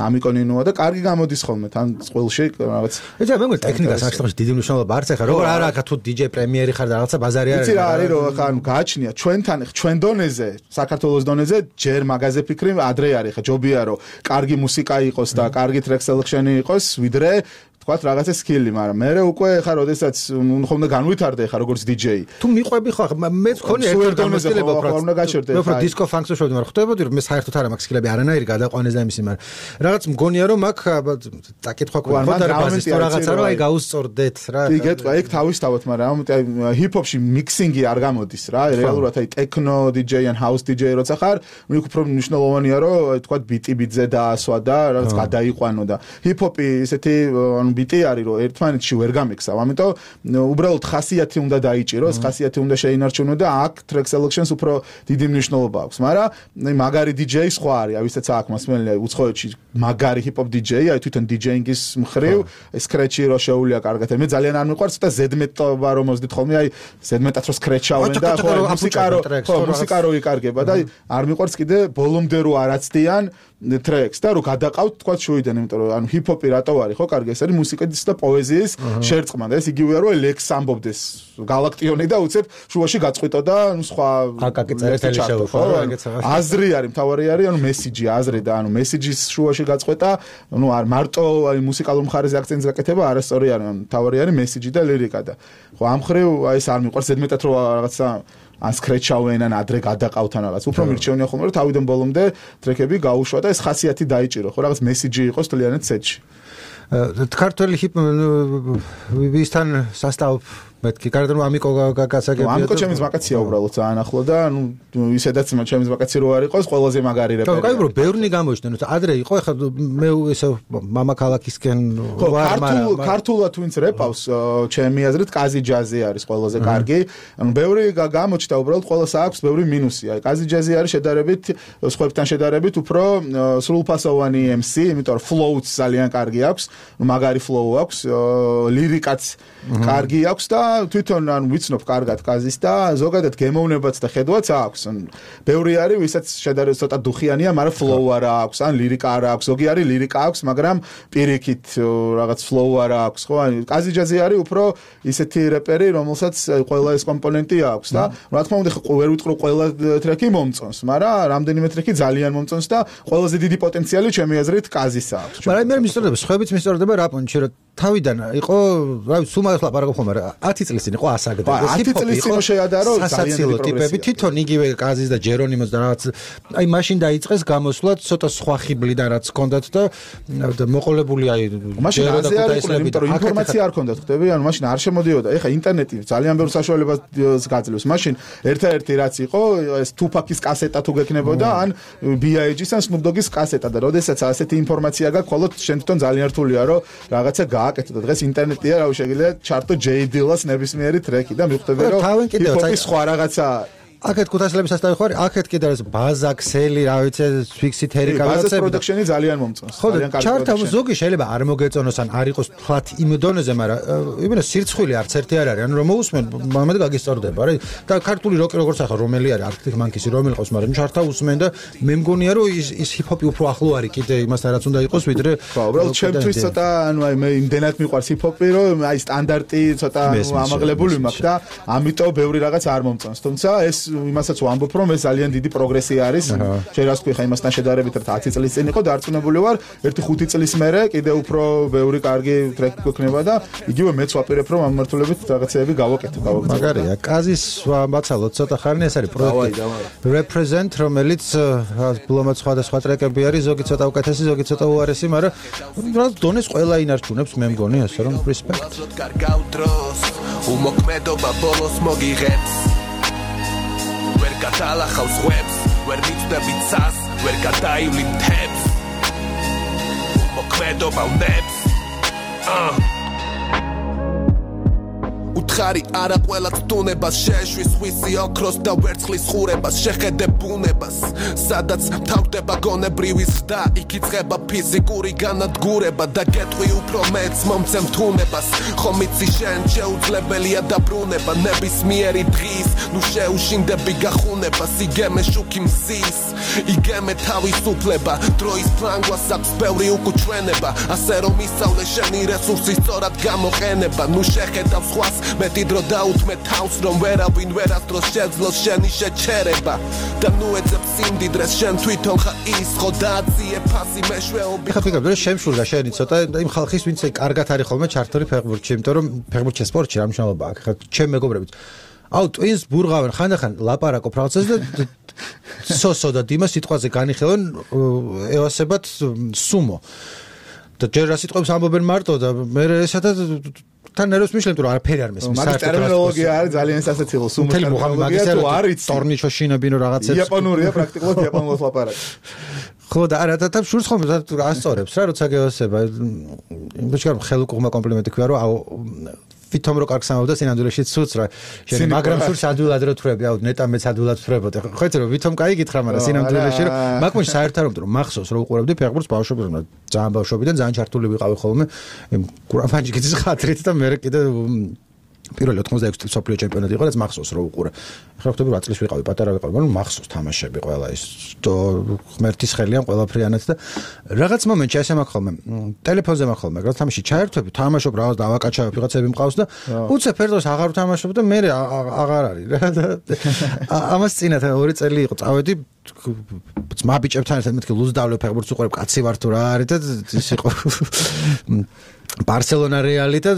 ამიკო ნინოა და კარგი გამოდის ხოლმე თან წყვილში რაღაც. ეცა მე მგონი ტექნიკას აღშტოხში დიდი მნიშვნელობა არც ახლა როგორ არა აქ თუ დი-ჯეი პრემიერი ხარ და რაღაცა ბაზარი არის. იცი რა არის რომ ხა ანუ გააჩნია ჩვენთან ჩვენ დონეზე, საქართველოს დონეზე ჯერ მაგაზე ფიქრი ადრე არის ხა ჯობია რომ კარგი მუსიკა იყოს და კარგი ტრეკ სელექშენი იყოს ვიდრე თქვათ რაღაცა სკილი, მაგრამ მე უკვე ხა როდესაც ხომ განვითარდე ხა როგორც დი-ჯეი. თუ მიყვები ხო მე მქონი ერთ გამოსილება პროგრამა გაჩერდე. მე უფრო დისკო ფანკს შევდი, მაგრამ ხვდებოდი რომ მე საერთოდ არ მაქვს სკილები არანაირი გადაყვანეს და იმისი, მაგრამ რაღაც მგონია რომ აქ დაკითხვა ქონდა და რაღაცა რომ აი გაუსწორდეთ რა. კი გეტყვა ეგ თავისთავად, მაგრამ აი ჰიპ-ჰოპში მიქსინგი არ გამოდის რა. რეალურად აი ტექნო დი-ჯეი ან ჰაუს დი-ჯეი როცა ხარ, მე უფრო მნიშვნელოვანია რომ აი თქვათ ბიტი ბიტზე დაასვა და რაღაც გადაიყვანო და ჰიპ-ჰოპი ესეთი ანუ ბიტი არის რომ ერთმანეთში ვერ გამექსავ, ამიტომ უბრალოდ ხასიათი უნდა დაიჭიროს, ხასიათი უნდა შეინარჩუნო და აქ ტრეკ სელექშენს უფრო დიდი მნიშვნელობა აქვს, მაგრამ მაგარი დი-ჯეი სხვა არის, აი ვისაც აქვს მასმენელი უცხოეთში მაგარი ჰიპ-ჰოპ დი-ჯეი, აი თვითონ დი-ჯეინგის მხრივ სკრეჩი რო შეუულია კარგად. მე ძალიან არ მიყვარს და ზედმეტობა რომ მოძდით ხოლმე, აი ზედმეტად რო სკრეჩავენ და ხო მუსიკა რო ხო მუსიკა რო იკარგება და არ მიყვარს კიდე ბოლომდე რო არაცდიან ტრეკს და რო გადაყავთ თქვა შვიდან, იმიტომ რომ ანუ ჰიპ-ჰოპი რატო არის ხო კარგი, ეს არის მუსიკის და პოეზიის შერწყმა და ეს იგივეა რომ ლექს ამბობდეს გალაქტიონი და უცებ შუაში გაწყვიტო და ნუ სხვა აკაკი წერეთელი შეუφო ეგეცა აზრი არის, მთავარი არის ანუ მესიჯი, აზრი და ანუ მესიჯის შუაში გაწყვეტა, ნუ არ მარტო აი მუსიკალურ მხარეზე აქცენტს გაკეთება, არასწორი არის, ანუ მთავარი არის მესიჯი და ლირიკა და ხო ამ ხრივ აი ეს არ მიყვარს ზედმეტად რომ რაღაცა ან სკრეჩავენ ან ადრე გადაყავთან რაღაც. უფრო მირჩევნია ხოლმე რომ თავიდან ბოლომდე ტრეკები გაუშვა და ეს ხასიათი დაიჭირო, ხო რაღაც მესიჯი იყოს თლიანად სეტში. ქართველი ჰიპ ვისთან სასწაულ მეთქი კარგი რომ ამიკო გასაგებია ამიკო ჩემს ვაკაცია უბრალოდ ძალიან ახლო და ნუ ისედაც ჩემს ვაკაცი რო არ იყოს ყველაზე მაგარი რეპერი. კაი ბრო ბევრნი გამოჩნდნენ ადრე იყო ეხლა მე ესე მამა ქალაქისკენ ვარ მაგრამ ქართულად ვინც რეპავს ჩემი აზრით კაზი ჯაზი არის ყველაზე კარგი. ანუ ბევრი გამოჩნდა უბრალოდ ყველას აქვს ბევრი მინუსია. კაზი ჯაზი არის შედარებით სხვებთან შედარებით უფრო სრულფასოვანი ემ სი, იმიტომ რომ ფლოუც ძალიან კარგი აქვს, მაგარი ფლოუ აქვს, ლირიკაც კარგი აქვს და თვითონ ანუ ვიცნობ კარგად კაზის და ზოგადად გემოვნებაც და ხედვაც აქვს. ბევრი არის ვისაც შედარებით ცოტა დუხიანია, მაგრამ ფლოუ არა აქვს, ან ლირიკა არა აქვს. ზოგი არის ლირიკა აქვს, მაგრამ პირიქით რაღაც ფლოუ არა აქვს, ხო? ან კაზი ჯაზი არის უფრო ისეთი რეპერი, რომელსაც ყველა ეს კომპონენტი აქვს და რა თქმა უნდა ვერ ვიტყვი ყველა ტრეკი მომწონს, მაგრამ რამდენიმე ტრეკი ძალიან მომწონს და ყველაზე დიდი პოტენციალი ჩემი აზრით კაზის აქვს. მაგრამ მე მისწორდება, სხვაებიც მისწორდება რა პონჩი რომ თავიდან იყო, რა ვიცი, სულ მაგას ლაპარაკობ ხომ, მაგრამ ათი წლის წინ იყო ასაგდა. ათი წლის წინ შეადარო ძალიან დიდი ტიპები, თვითონ იგივე კაზის და ჯერონიმოს და რაღაც აი მაშინ დაიწყეს გამოსვლა ცოტა სხვა ხიბლიდან რაც ჰქონდათ და მოყოლებული აი ჯერო და ქუთაისლები და ინფორმაცია არ ჰქონდათ, ხტები? ანუ მაშინ არ შემოდიოდა. ეხა ინტერნეტი ძალიან ბევრ საშუალებას გაძლევს. მაშინ ერთ-ერთი რაც იყო ეს Tupac-ის კასეტა თუ გექნებოდა ან ბი აი ჯის ან Snoop Dogg-ის კასეტა და როდესაც ასეთი ინფორმაცია გაქვს, ხოლოდ შენ თვითონ ძალიან რთულია რომ რაღაცა გააკეთო და დღეს ინტერნეტია, რა შეიძლება ჩარტო ჯეი დილას ნებისმიერი ტრეკი და მიხვდები რომ ჰიპ-ჰოპის სხვა რაღაცა აქეთ ქუთაისლების ასტავი ხარ, აქეთ კიდე ეს ბაზა, ქსელი, რა ვიცი, ფიქსი თერი გავაცები. ბაზას პროდუქშენი ძალიან მომწონს. ძალიან კარგი. ჩარტა ზოგი შეიძლება არ მოგეწონოს ან არ იყოს ფლათ იმ დონეზე, მაგრამ იმენა სირცხვილი არც ერთი არ არის. ანუ რომ მოусმენ, მომედ გაგისწორდება, რა. და ქართული როკი როგორც ახლა რომელი არის, Arctic Monkeys-ი რომელი ყავს, მაგრამ ჩარტა უსმენ და მე მგონია რომ ის ის ჰიპ-ჰოპი უფრო ახლო არის კიდე იმასთან რაც უნდა იყოს, ვიდრე ხო, უბრალოდ ჩემთვის ცოტა ანუ აი მე იმდენად მიყვარს ჰიპ-ჰოპი, რომ აი სტანდარტი ცოტა ამაღლებული მაქვს და ამიტომ ბევრი რაღაც არ მომწონს. თუმცა ეს იმასაც ვამბობ რომ ეს ძალიან დიდი პროგრესი არის. შენ რას ქვი ხა იმასთან შედარებით ერთ ათი წლის წინ იყო დარწმუნებული ვარ ერთი ხუთი წლის მერე კიდე უფრო ბევრი კარგი ტრეკი გვექნება და იგივე მეც ვაპირებ რომ ამ მართლებით რაღაცეები გავაკეთო გავაკეთო. მაგარია. კაზის ვამბაცალოთ ცოტა ხანი ეს არის პროექტი Represent რომელიც ბლომად სხვადასხვა ტრეკები არის ზოგი ცოტა უკეთესი ზოგი ცოტა უარესი მაგრამ რა დონეს ყველა ინარჩუნებს მე მგონი ასე რომ respect. უმოქმედობა ბოლოს მოგიღებს ვერ გადალახავს ხვებს ვერ მიწდები ცას ვერ გადაივლი მთებს უმოქმედობა ვნებს აა უთხარი არა ყველა წუნებას შეშვის ხვისი ოქროს და ვერცხლის ხურებას შეხედე ბუნებას სადაც თავდება გონებრივი ზრდა იქ იწყება ფიზიკური განადგურება და გეტყვი უფრო მეც მომცემ თუნებას ხომ იცი შენ შეუძლებელია დაბრუნება ნებისმიერი დღის ნუ შეუშინდები გახუნებას იგემე შუქი მზის იგემე თავისუფლება დროის ფლანგვას აქვს ბევრი უკუჩვენება ასე რომ ისწავლე შენი რესურსი სწორად გამოყენება ნუ შეხედავ სხვას მეტი დრო დაუთმე თავს რომ ვერავინ ვერასდროს შეძლოს შენი შეჩერება და ნუ ეძებ სიმდიდრეს შენ თვითონ ხა ის ხო დაძიე ფასი მეშვეობი ხა ფიქრობ რომ შემშურდა შენი ცოტა იმ ხალხის ვინც კარგად არის ხოლმე ჩართული ფეხბურთში იმიტომ რომ ფეხბურთში სპორტში რა მნიშვნელობა აქვს ხა ჩემ მეგობრებიც აუ ტვინს ბურღავენ ხანდახან ლაპარაკობ რაღაცას და სოსო და დიმა სიტყვაზე განიხილონ ევასებად სუმო და ჯერ რა სიტყვებს ამბობენ მარტო და მე ესათა თან ნერვს მიშლებ რომ არაფერი არ მესმის მაგის ტერმინოლოგია არის ძალიან სასაცილო სუმო ტერმინოლოგია თუ არის ტორნიჩო შინებინო რაღაცებს იაპონურია პრაქტიკულად იაპონურად ლაპარაკი ხო და არა და თან შურს ხომ ასწორებს რა როცა გეოსება იმბოჩკარ ხელუკუღმა კომპლიმენტი ქვია რომ აუ ვითომ რო კარგს ამბობდა სინამდვილეში ცუც რა შენ მაგრამ სურს ადვილად რო თვრები აუ ნეტა მეც ადვილად თვრებოდი ხო იცი რომ ვითომ კაი გითხრა მაგრამ სინამდვილეში რომ მაგმოში საერთოდ რომ მახსოვს რომ უყურებდი ფეხბურთს ბავშვობიდან ძალიან ბავშვობიდან ძალიან ჩართული ვიყავი ხოლმე იმ გურაფანჯიკის ხათრით და მე კიდე პირველი ოთხმოცდაექვსი წლის სოფლიო ჩემპიონატი იყო, რაც მახსოვს რომ უყურე. ახლა ხტები რა წლის ვიყავი, პატარა ვიყავი, მაგრამ მახსოვს თამაშები ყველა ის ღმერთის ხელიან ყველაფრიანაც და რაღაც მომენტში ასე მაქვს ხოლმე. ტელეფონზე მაქვს ხოლმე, რაღაც თამაში ჩაერთვები, თამაშობ რაღაც დავაკაჩავებ, ვიღაცები მყავს და უცებ ფერდოს აღარ ვთამაშობ და მე აღარ არის რა და ამას წინათ ორი წელი იყო, წავედი ძმა ბიჭებთან ერთად მეთქი ლუზ დავლე ფეხბურთს უყურებ, კაცი ვარ თუ რა არის და ის იყო Barcelona Reali და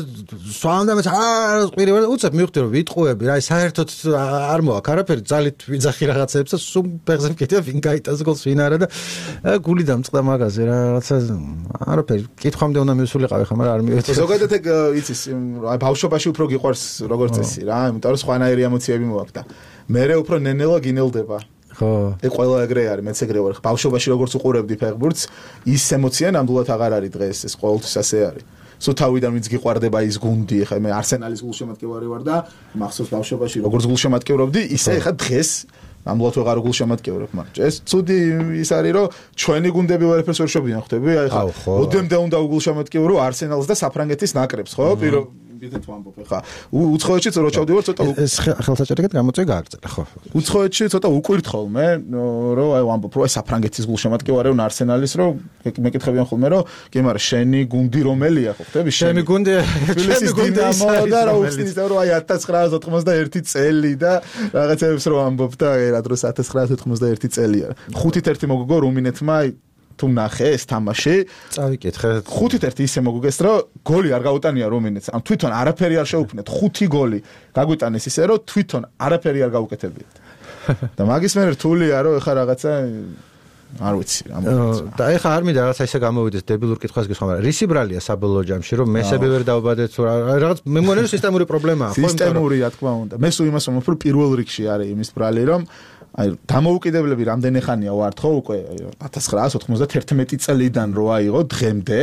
სვამდამეც არ ყვირივარ უცებ მივხვდი რომ ვიტყუები რა საერთოდ არ მოაქვს არაფერი ძალით ვიძახი რაღაცებს და სულ ფეხზე მკითხა ვინ გაიტანს გოლს ვინ არა და გული დამწყდა მაგაზე რაღაცა არაფერი კითხვამდე უნდა მივსულიყავი ხა მაგრამ არ მივეცი ზოგადად ეგ იცის აი ბავშვობაში უფრო გიყვარს როგორც წესი რა იმიტომ რომ სხვანაირი ემოციები მოაქვს და მერე უფრო ნენელა გინელდება ხო ეგ ყველა ეგრე არის მეც ეგრე ვარ ბავშვობაში როგორც უყურებდი ფეხბურთს ის ემოცია ნამდვილად აღარ არის დღეს ეს ყოველთვის ასე არის სულ თავიდან ვინც გიყვარდება ის გუნდი ხა მე არსენალის გულშემატკივარი ვარ და მახსოვს ბავშვობაში როგორც გულშემატკივრობდი ისე ხა დღეს ნამდვილად ვეღარ გულშემატკივრობ მაგრამ ეს ცუდი ის არის რომ ჩვენი გუნდები ვერაფერს ვერ შობიან ხვდები აი ხა ოდემდე უნდა გულშემატკივრო არსენალს და საფრანგეთის ნაკრებს ხო პირო ბიძეთ ვამბობ ხა უცხოეთში რო ჩავდივარ ცოტა ეს ხელსაჭერეკად გამოწვე გააგრძელა ხო უცხოეთში ცოტა უკვირთ ხოლმე რომ აი ვამბობ რომ საფრანგეთის გულშემატკივარი უნდა არსენალის რომ მეკითხებიან ხოლმე რომ კი მაგრამ შენი გუნდი რომელია ხო ხდები შენი გუნდი თბილისის დინამო და რა უხსნის რომ აი ათას ცხრაას ოთხმოცდაერთი წელი და რაღაცებს რომ ვამბობ და რა დროს ათას ცხრაას ოთხმოცდაერთი წელია ხუთით ერთი მოგგო რუმინეთმა თუ ნახე ეს თამაში წავიკითხე ხუთით ერთი ისე მოგუგეს რომ გოლი არ გაუტანია რუმინეთს ამ თვითონ არაფერი არ შეუქმნეთ ხუთი გოლი გაგვიტანეს ისე რომ თვითონ არაფერი არ გაუკეთებიათ და მაგის მერე რთულია რომ ეხა რაღაცა არ ვიცი რა და ეხა არ მინდა რაღაცა ისე გამოვიდეს დებილურ კითხვას გესხმა მაგრამ რისი ბრალია საბოლოო ჯამში რომ მესები ვერ დავბადეთ რაღაც მე მგონი რომ სისტემური პრობლემაა ხო სისტემური რა თქმა უნდა მე სულ იმას ვამბობ რომ პირველ რიგში არის იმის ბრალი რომ აი დამოუკიდებლები რამდენი ხანია ვართ ხო უკვე ათას ცხრაას ოთხმოცდაერთი წელიდან რო აიღო დღემდე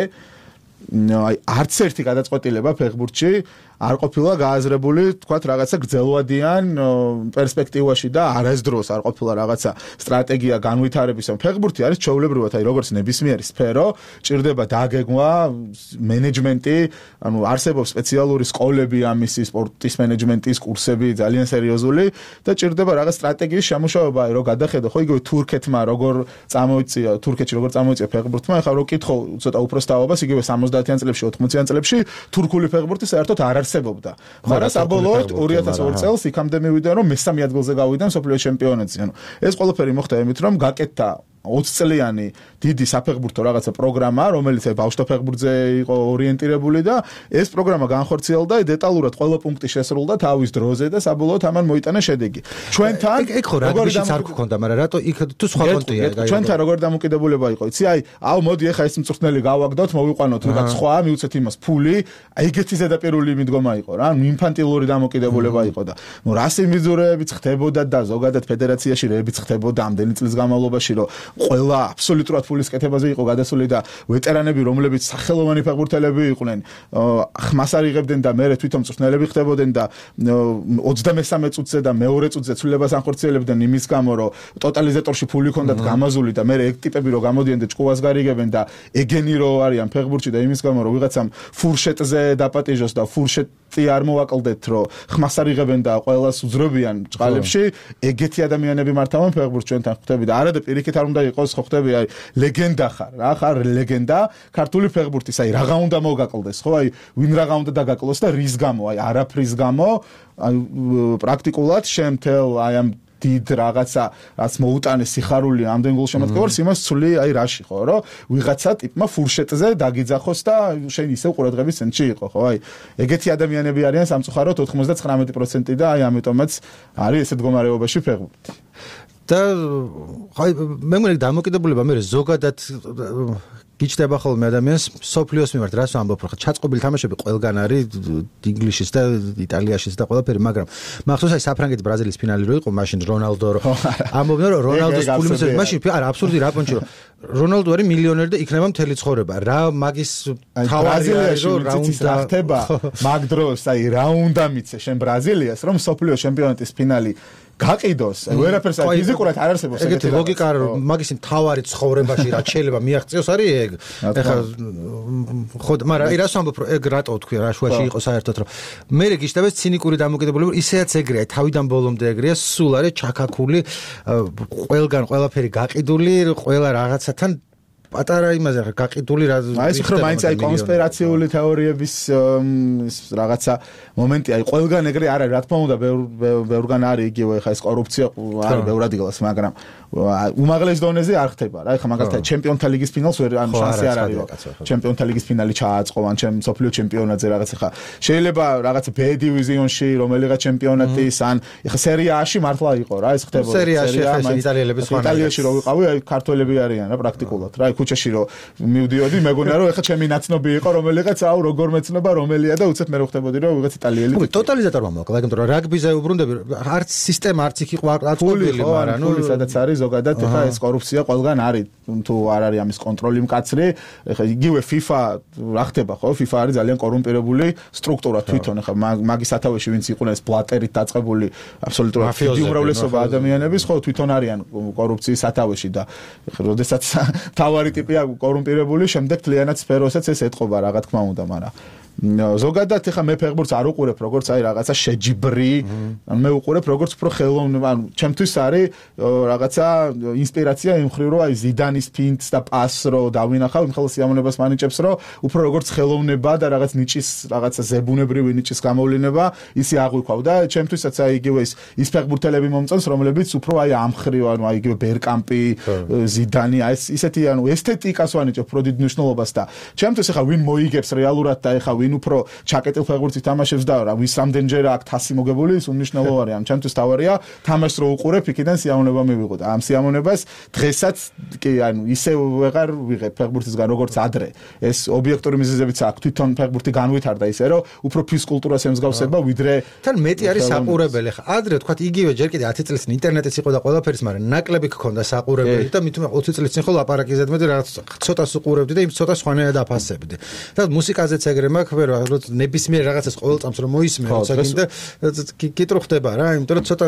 აი არც ერთი გადაწყვეტილება ფეხბურთში არ ყოფილა გააზრებული თქვათ რაღაცა გრძელვადიან პერსპექტივაში და არასდროს არ ყოფილა რაღაცა სტრატეგია განვითარების ამ ფეხბურთი არის ჩვეულებრივად აი როგორც ნებისმიერი სფერო ჭირდება დაგეგმვა მენეჯმენტი ანუ არსებობს სპეციალური სკოლები ამისი სპორტის მენეჯმენტის კურსები ძალიან სერიოზული და ჭირდება რაღაც სტრატეგიის შემუშავება აი რო გადახედო ხო იგივე თურქეთმა როგორ წამოიწია თურქეთში როგორ წამოიწია ფეხბურთმა ახლა რო კითხო ცოტა უბრალოდ იგივე სამოცდაათიან წლებში ოთხმოციან წლებში თურქული ფეხბურთი საერთოდ არ არსებობდა. მაგრამ საბოლოოდ ორი ათას ორი წელს იქამდე მივიდა რომ მესამე ადგილზე გავიდა მსოფლიო ჩემპიონატზე. ანუ ეს ყველაფერი მოხდა იმით რომ გაკეთდა ოცი წლიანი დიდი საფეხბურთო რაღაცა პროგრამა, რომელიც ბავშვთა ფეხბურთზე იყო ორიენტირებული და ეს პროგრამა განხორციელდა დეტალურად ყველა პუნქტი შესრულდა თავის დროზე და საბოლოოდ ამან მოიტანა შედეგი. ჩვენთან ეგ ხო რაგბიშიც არ გქონდა, მაგრამ რატო იქ თუ სხვა კონტია გაიგო. ჩვენთან როგორ დამოკიდებულება იყო, იცი? აი, აუ მოდი ახლა ეს მწვრთნელი გავაგდოთ, მოვიყვანოთ რაღაც სხვა, მივუცეთ იმას ფული. აი ეგეთი ზედაპირული მიდგომა იყო რა, ინფანტილური დამოკიდებულება იყო და ნუ რას იმიძურეებიც ხდებოდა და ზოგადად ფედერაციაში რეებიც ხდებოდა ამდენი წლის განმავლობაში რომ ყველა აბსოლუტურად ფულის კეთებაზე იყო გადასული და ვეტერანები რომლებიც სახელოვანი ფეხბურთელები იყვნენ ხმას არ იღებდნენ და მერე თვითონ მწვრთნელები ხდებოდნენ და ოცდამესამე წუთზე და მეორე წუთზე ცვლილებას ანხორციელებდნენ იმის გამო რომ ტოტალიზატორში ფული ჰქონდათ გამაზული და მერე ეგ ტიპები რომ გამოდიან და ჭკუას გარიგებენ და ეგენი რო არიან ფეხბურთში და იმის გამო რომ ვიღაცამ ფურშეტზე დაპატიჟოს და ფურშეტი არ მოვაკლდეთ რომ ხმას არ იღებენ და ყველას უძრობიან ჭყალებში ეგეთი ადამიანები მართავენ ფეხბურთს ჩვენთან ხვდები და არა და პირიქით არ უნდა იყოს ხო ხტები აი ლეგენდა ხარ რა ხარ ლეგენდა ქართული ფეხბურთის აი რაღა უნდა მოგაკლდეს ხო აი ვინ რაღა უნდა დაგაკლოს და რის გამო აი არაფრის გამო აი პრაქტიკულად შემთელ აი ამ დიდ რაღაცა რაც მოუტანეს სიხარული ამდენ გულშემატკივარს იმას ცვლი აი რაში ხო რომ ვიღაცა ტიპმა ფურშეტზე დაგიძახოს და შენ ისევ ყურადღების ცენტრში იყო ხო აი ეგეთი ადამიანები არიან სამწუხაროდ ოთხმოცდათხრამეტი პროცენტი და აი ამიტომაც არის ესეთ მდგომარეობაში ფეხბურთი და აი მე მგონი დამოკიდებულება მე ზოგადად გიჩნდება ხოლმე ადამიანს სოფლიოს მიმართ რას ვამბობ რა ჩაწყობილი თამაშები ყველგან არის ინგლისშიც და იტალიაშიც და ყველაფერი მაგრამ მახსოვს აი საფრანგეთის ბრაზილიის ფინალი რო იყო მაშინ რონალდო ამბობდნენ რომ რონალდოს ფული მისცეს მაშინ არა აბსურდი რა პონჩი რომ რონალდო არის მილიონერი და იქნება მთელი ცხოვრება რა მაგის თავარი არის რომ რა უნდა ხდება მაგ დროს აი რა უნდა მიცე შენ ბრაზილიას რომ სოფლიო ჩემპიონატის ფინალი გაყიდოს ვერაფერს აი ფიზიკურად არ არსებობს ეგეთი ლოგიკა რომ მაგის თავარი ცხოვრებაში რა შეიძლება მიაღწიოს არის ეგ ეხლა ხო მაგრამ აი რას ვამბობ რომ ეგ რატო თქვი რა შუაში იყო საერთოდ რომ მე გიშტაბეს ცინიკური დამოკიდებულება ისეაც ეგრეა თავიდან ბოლომდე ეგრეა სულ არის ჩაქაქული ყველგან ყველაფერი გაყიდული ყველა რაღაცათან პატარა იმაზე რა გაყიდული რა აი ეს ხო მაინც აი კონსპირაციული თეორიების რაღაცა მომენტი აი ყველგან ეგრე არ არის რა თქმა უნდა ბევრგან არის იგივე ხა ეს კორუფცია არის ბევრად იგლას მაგრამ უმაღლეს დონეზე არ ხდება რა ხა მაგალითად ჩემპიონთა ლიგის ფინალს ვერ ან შანსი არ არის ჩემპიონთა ლიგის ფინალი ჩააწყო ან ჩემ სოფლიო ჩემპიონატზე რაღაცა ხა შეიძლება რაღაცა B დივიზიონში რომელიღაც ჩემპიონატის ან ხა სერია A-ში მართლა იყო რა ეს ხდება სერიაში ხა იტალიელები სხვა იტალიაში რო ვიყავი აი ქართველები არიან რა პრაქტიკულად რა ქუჩაში რო მივდიოდი მეგონა რომ ეხა ჩემი ნაცნობი იყო რომელიღაც აუ როგორ მეცნობა რომელია და უცებ მე რო ხდებოდი რომ ვიღაც იტალიელი ხო ტოტალიზატორმა მოკლა იმიტომ რომ რაგბიზე უბრუნდები არც სისტემა არც იქ იყო არც ყოფილი მაგრამ ნუ სადაც არის ზოგადად ეხა ეს კორუფცია ყველგან არის თუ არ არის ამის კონტროლი მკაცრი ეხა იგივე FIFA რა ხდება ხო FIFA არის ძალიან კორუმპირებული სტრუქტურა თვითონ ეხა მაგის სათავეში ვინც იყვნენ ეს ბლატერით დაწყებული აბსოლუტურად დიდი უმრავლესობა ადამიანების ხო თვითონ არიან კორუფციის სათავეში და ეხა როდესაც თავარი ტიპია კორუმპირებული შემდეგ თლიანად სფეროსაც ეს ეთყობა რა თქმა უნდა მაგრამ ზოგადად ეხა მე ფეხბურთს არ უყურებ როგორც აი რაღაცა შეჯიბრი ან მე უყურებ როგორც უფრო ხელოვნური ანუ ჩემთვის არის რაღაცა ინსპირაცია იმ ხრივ რომ აი ზიდანის ფინტს და პასს რო დავინახავ იმ ხელს სიამოვნებას მანიჭებს რომ უფრო როგორც ხელოვნება და რაღაც ნიჭის რაღაცა ზებუნებრივი ნიჭის გამოვლინება ისი აღვიქვავ და ჩემთვისაც აი იგივე ის ის ფეხბურთელები მომწონს რომლებიც უფრო აი ამ ხრივ ანუ აი იგივე ბერკამპი ზიდანი აი ისეთი ანუ ესთეტიკას ვანიჭებ უფრო დიდ მნიშვნელობას და ჩემთვის ეხა ვინ მოიგებს რეალურად და ეხა ვინ უფრო ჩაკეტილ ფეხბურთს თამაშობს და რა ვის რამდენჯერა აქ თასი მოგებული ის უნიშნელო არის ამ ჩემთვის თავარია თამაშს რო უყურებ იქიდან სიამოვნება მივიღო და ამ სიამოვნებას დღესაც კი ანუ ისე ვეღარ ვიღებ ფეხბურთისგან როგორც ადრე ეს ობიექტური მიზეზებიც აქვს თვითონ ფეხბურთი განვითარდა ისე რომ უფრო ფიზკულტურას ემსგავსება ვიდრე თან მეტი არის საყურებელი ხა ადრე თქვა იგივე ჯერ კიდე ათი წლის წინ ინტერნეტიც იყო და ყველაფერს მაგრამ ნაკლები გქონდა საყურებელი და მithumე ოცი წლის წინ ხო ლაპარაკი ზედმეტი რაღაც ცოტას უყურებდი და იმ ცოტას ხვანაირად აფასებდი და მუსიკაზეც ეგრე მაქვს რო ნებისმიერ რაღაცას ყოველ წამს რომ მოისმენ როცა გინდა კიტრო ხდება რა იმიტომ რომ ცოტა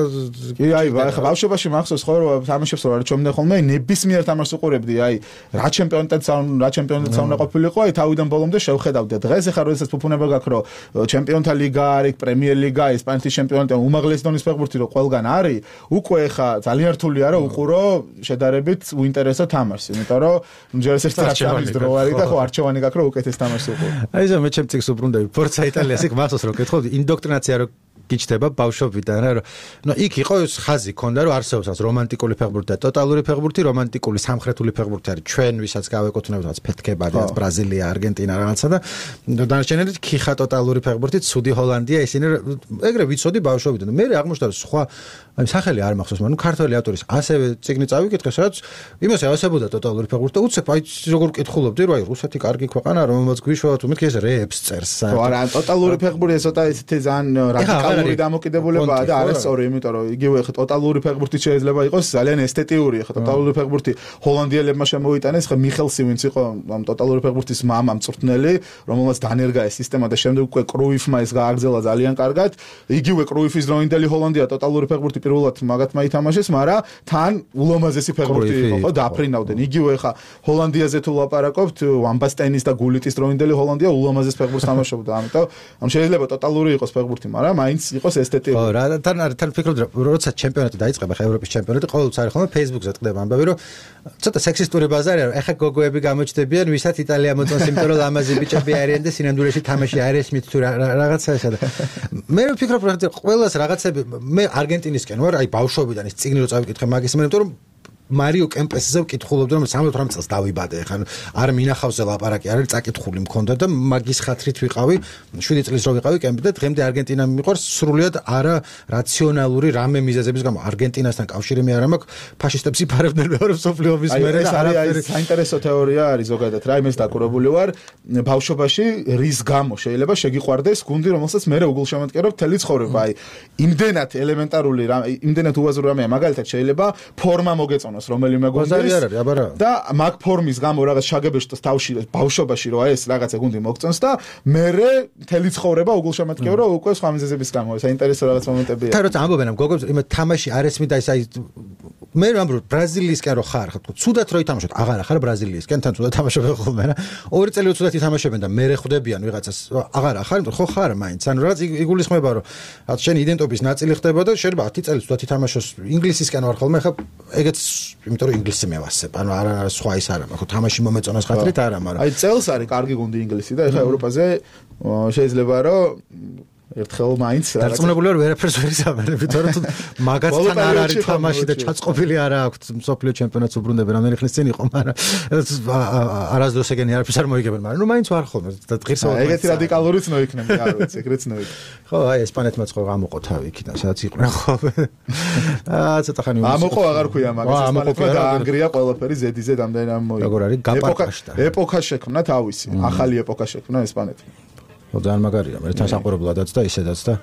კი აი ხა ბავშვობაში მახსოვს ხო რომ თამაშებს რო არ ჩომდნენ ხოლმე ნებისმიერ თამაშს უყურებდი აი რა ჩემპიონატიც რა ჩემპიონატიც უნდა ყოფილიყო აი თავიდან ბოლომდე შევხედავდი დღეს ახლა როდესაც ფუფუნება გაქვს რომ ჩემპიონთა ლიგა არის პრემიერ ლიგა ესპანეთის ჩემპიონატი უმაღლესი დონის ფეხბურთი რო ყველგან არის უკვე ახლა ძალიან რთულია რომ უყურო შედარებით უინტერესო თამაშს იმიტომ რომ ჯერ ეს არჩევანის დრო არის და ხო არჩევანი გაქვს რომ უკეთეს თამაშს უყურო აი ზო მე ჩემ წიგს უბრუნდები ფორცა იტალიას იქ მახსოვს რომ კითხავდი ინდოქტრინაცია რო გიჩდება ბავშვობიდან რა რომ ნუ იქ იყო ეს ხაზი ქონდა რომ არსებობს ეს რომანტიკული ფეხბურთი და ტოტალური ფეხბურთი რომანტიკული სამხრეთული ფეხბურთი არის ჩვენ ვისაც გავეკუთვნებთ რაც ფეთქებადი რაც ბრაზილია არგენტინა რაღაცა და დანარჩენები ქიხა ტოტალური ფეხბურთი ცუდი ჰოლანდია ისინი ეგრე ვიცოდი ბავშვობიდან მე აღმოჩნდა რომ სხვა აი სახელი არ მახსოვს მაგრამ ქართველი ავტორის ასევე წიგნი წავიკითხე სადაც იმას ავსებოდა ტოტალური ფეხბურთი და უცებ აი როგორ კითხულობდი რომ აი რუსეთი კარგი ქვეყანა რომელმაც გვიშვა თუ მეთქი ეს რეებს წერს ხო არა ტოტალური ფეხბურთი ესოთა ისეთი ძალიან რადიკალური დამოკიდებულებაა და არასწორი იმიტომ რომ იგივე ხა ტოტალური ფეხბურთი შეიძლება იყოს ძალიან ესთეტიური ხა ტოტალური ფეხბურთი ჰოლანდიელებმა შემოიტანეს ხა მიხელსი ვინც იყო ამ ტოტალური ფეხბურთის მამა მწვრთნელი რომელმაც დანერგა ეს სისტემა და შემდეგ უკვე კრუიფმა ეს გააგრძელა ძალიან კარგად იგივე კრუიფის დროინდელი ჰოლანდია ტოტალური ფეხბურთი პირველად მაგათმა ითამაშეს მაგრამ თან ულამაზესი ფეხბურთი იყო ხო დაფრინავდნენ იგივე ხა ჰოლანდიაზე თუ ლაპარაკობთ ვამბასტენის და გულიტის დროინდელი ჰოლანდია ულამაზეს ფეხბურთს თამაშობდა ამიტომ ამ შეიძლება ტოტალური იყოს ფეხბურთი მაგრამ მაინც იყოს ესთეტიკური. ხო, რა თან თან ფიქრობდი როცა ჩემპიონატი დაიწყება, ხა ევროპის ჩემპიონატი ყოველთვის არის ხოლმე Facebook-ზე წდება ამბავი, რომ ცოტა სექსისტური ბაზარი არის, ეხა გოგოები გამოჩნდებიან, ვისაც იტალია მოწონს, იმიტომ რომ ლამაზი ბიჭები არიან და სინამდვილეში თამაში არ ესმით თუ რაღაცა ესა და მე ვფიქრობ რომ ყველას რაღაცები მე არგენტინისკენ ვარ, აი ბავშვობიდან ის წიგნი რო წავიკითხე მაგის მე, იმიტომ რომ მარიო კემპესზე ვკითხულობდი რომ სამოცდაოთხ წელს დავიბადე ხან არ მინახავზე ლაპარაკი არის წაკითხული მქონდა და მაგის ხათრით ვიყავი შვიდი წლის რო ვიყავი კემპი და დღემდე არგენტინა მიყვარს სრულიად არა რაციონალური რამე მიზეზების გამო არგენტინასთან კავშირი მე არ მაქვს ფაშისტებს იფარებდნენ მეორე მსოფლიოების მერე ეს არის საინტერესო თეორია არის ზოგადად რა იმეს დაკურებული ვარ ბავშვობაში რის გამო შეიძლება შეგიყვარდეს გუნდი რომელსაც მე უგულშემატკივრობ თელი ცხოვრება აი იმდენად ელემენტარული რამე იმდენად უაზრო რამეა მაგალითად შეიძლება ფორმა მოგეწონოს რომელიმე გუნდის და მაგ ფორმის გამო რაღაც შაგებეშტოს თავში ბავშვობაში რო ეს რაღაცა გუნდი მოგწონს და მერე მთელი ცხოვრება უგულშემატკივრო უკვე სხვა მიზეზების გამო საინტერესო რაღაც მომენტებია. თან როცა ამბობენ ამ გოგოებს იმ თამაში არ ესმით და ეს აი მე ვამბობ ბრაზილიისკენ რო ხარ, ხო, ცუდად რო ითამაშოთ, აღარა ხარ ბრაზილიისკენ, თან ცუდად თამაშობენ ხოლმე რა. ორი წელი ცუდად ითამაშებენ და მე ხვდებიან ვიღაცას, აღარა ხარ, ხო ხარ მაინც. ანუ რაც იგულისხმება რომ რაც შენი იდენტობის ნაწილი ხდება და შეიძლება ათი წელი ცუდად ითამაშოს ინგლისისკენ ვარ ხოლმე, ხა ეგეც იმიტომ რომ ინგლისზე მევასებ. ანუ არა სხვა ის არა, ხო თამაში მომეწონას ხათრით არა, მაგრამ აი წელს არის კარგი გუნდი ინგლისი და ეხლა ევროპაზე შეიძლება რომ ერთხელ მაინც დარწმუნებული ვარ ვერაფერს ვერ იზამენებ, თორემ თუ მაგაცთან არ არის თამაში და ჩაწყობილი არა აქვს მსოფლიო ჩემპიონატს უბრუნდებენ, რამდენი ხნის წინ იყო, მაგრამ არასდროს ეგენი არაფერს არ მოიგებენ, მაგრამ ნუ მაინც ვარ ხოლმე და ღირსეულად ეგეთი რადიკალურიც ნოიქნები, არ ვიცი, ეგრეც ნოიქ. ხო, აი ესპანეთმა ხო გამოყო თავი იქიდან, სადაც იყვნენ ხო. აა ცოტა ხანი ამოყო აღარ ქვია მაგას, ესპანეთმა დაანგრია ყველაფერი ზედიზე რამდენი ამ მოიგო. როგორ არის გაპარკაშტა. ეპოქა შექმნა თავისი, ახალი ეპოქა შექმნა ესპანეთმა. ძალიან მაგარია, მე თან საყურებლადაც და ისედაც და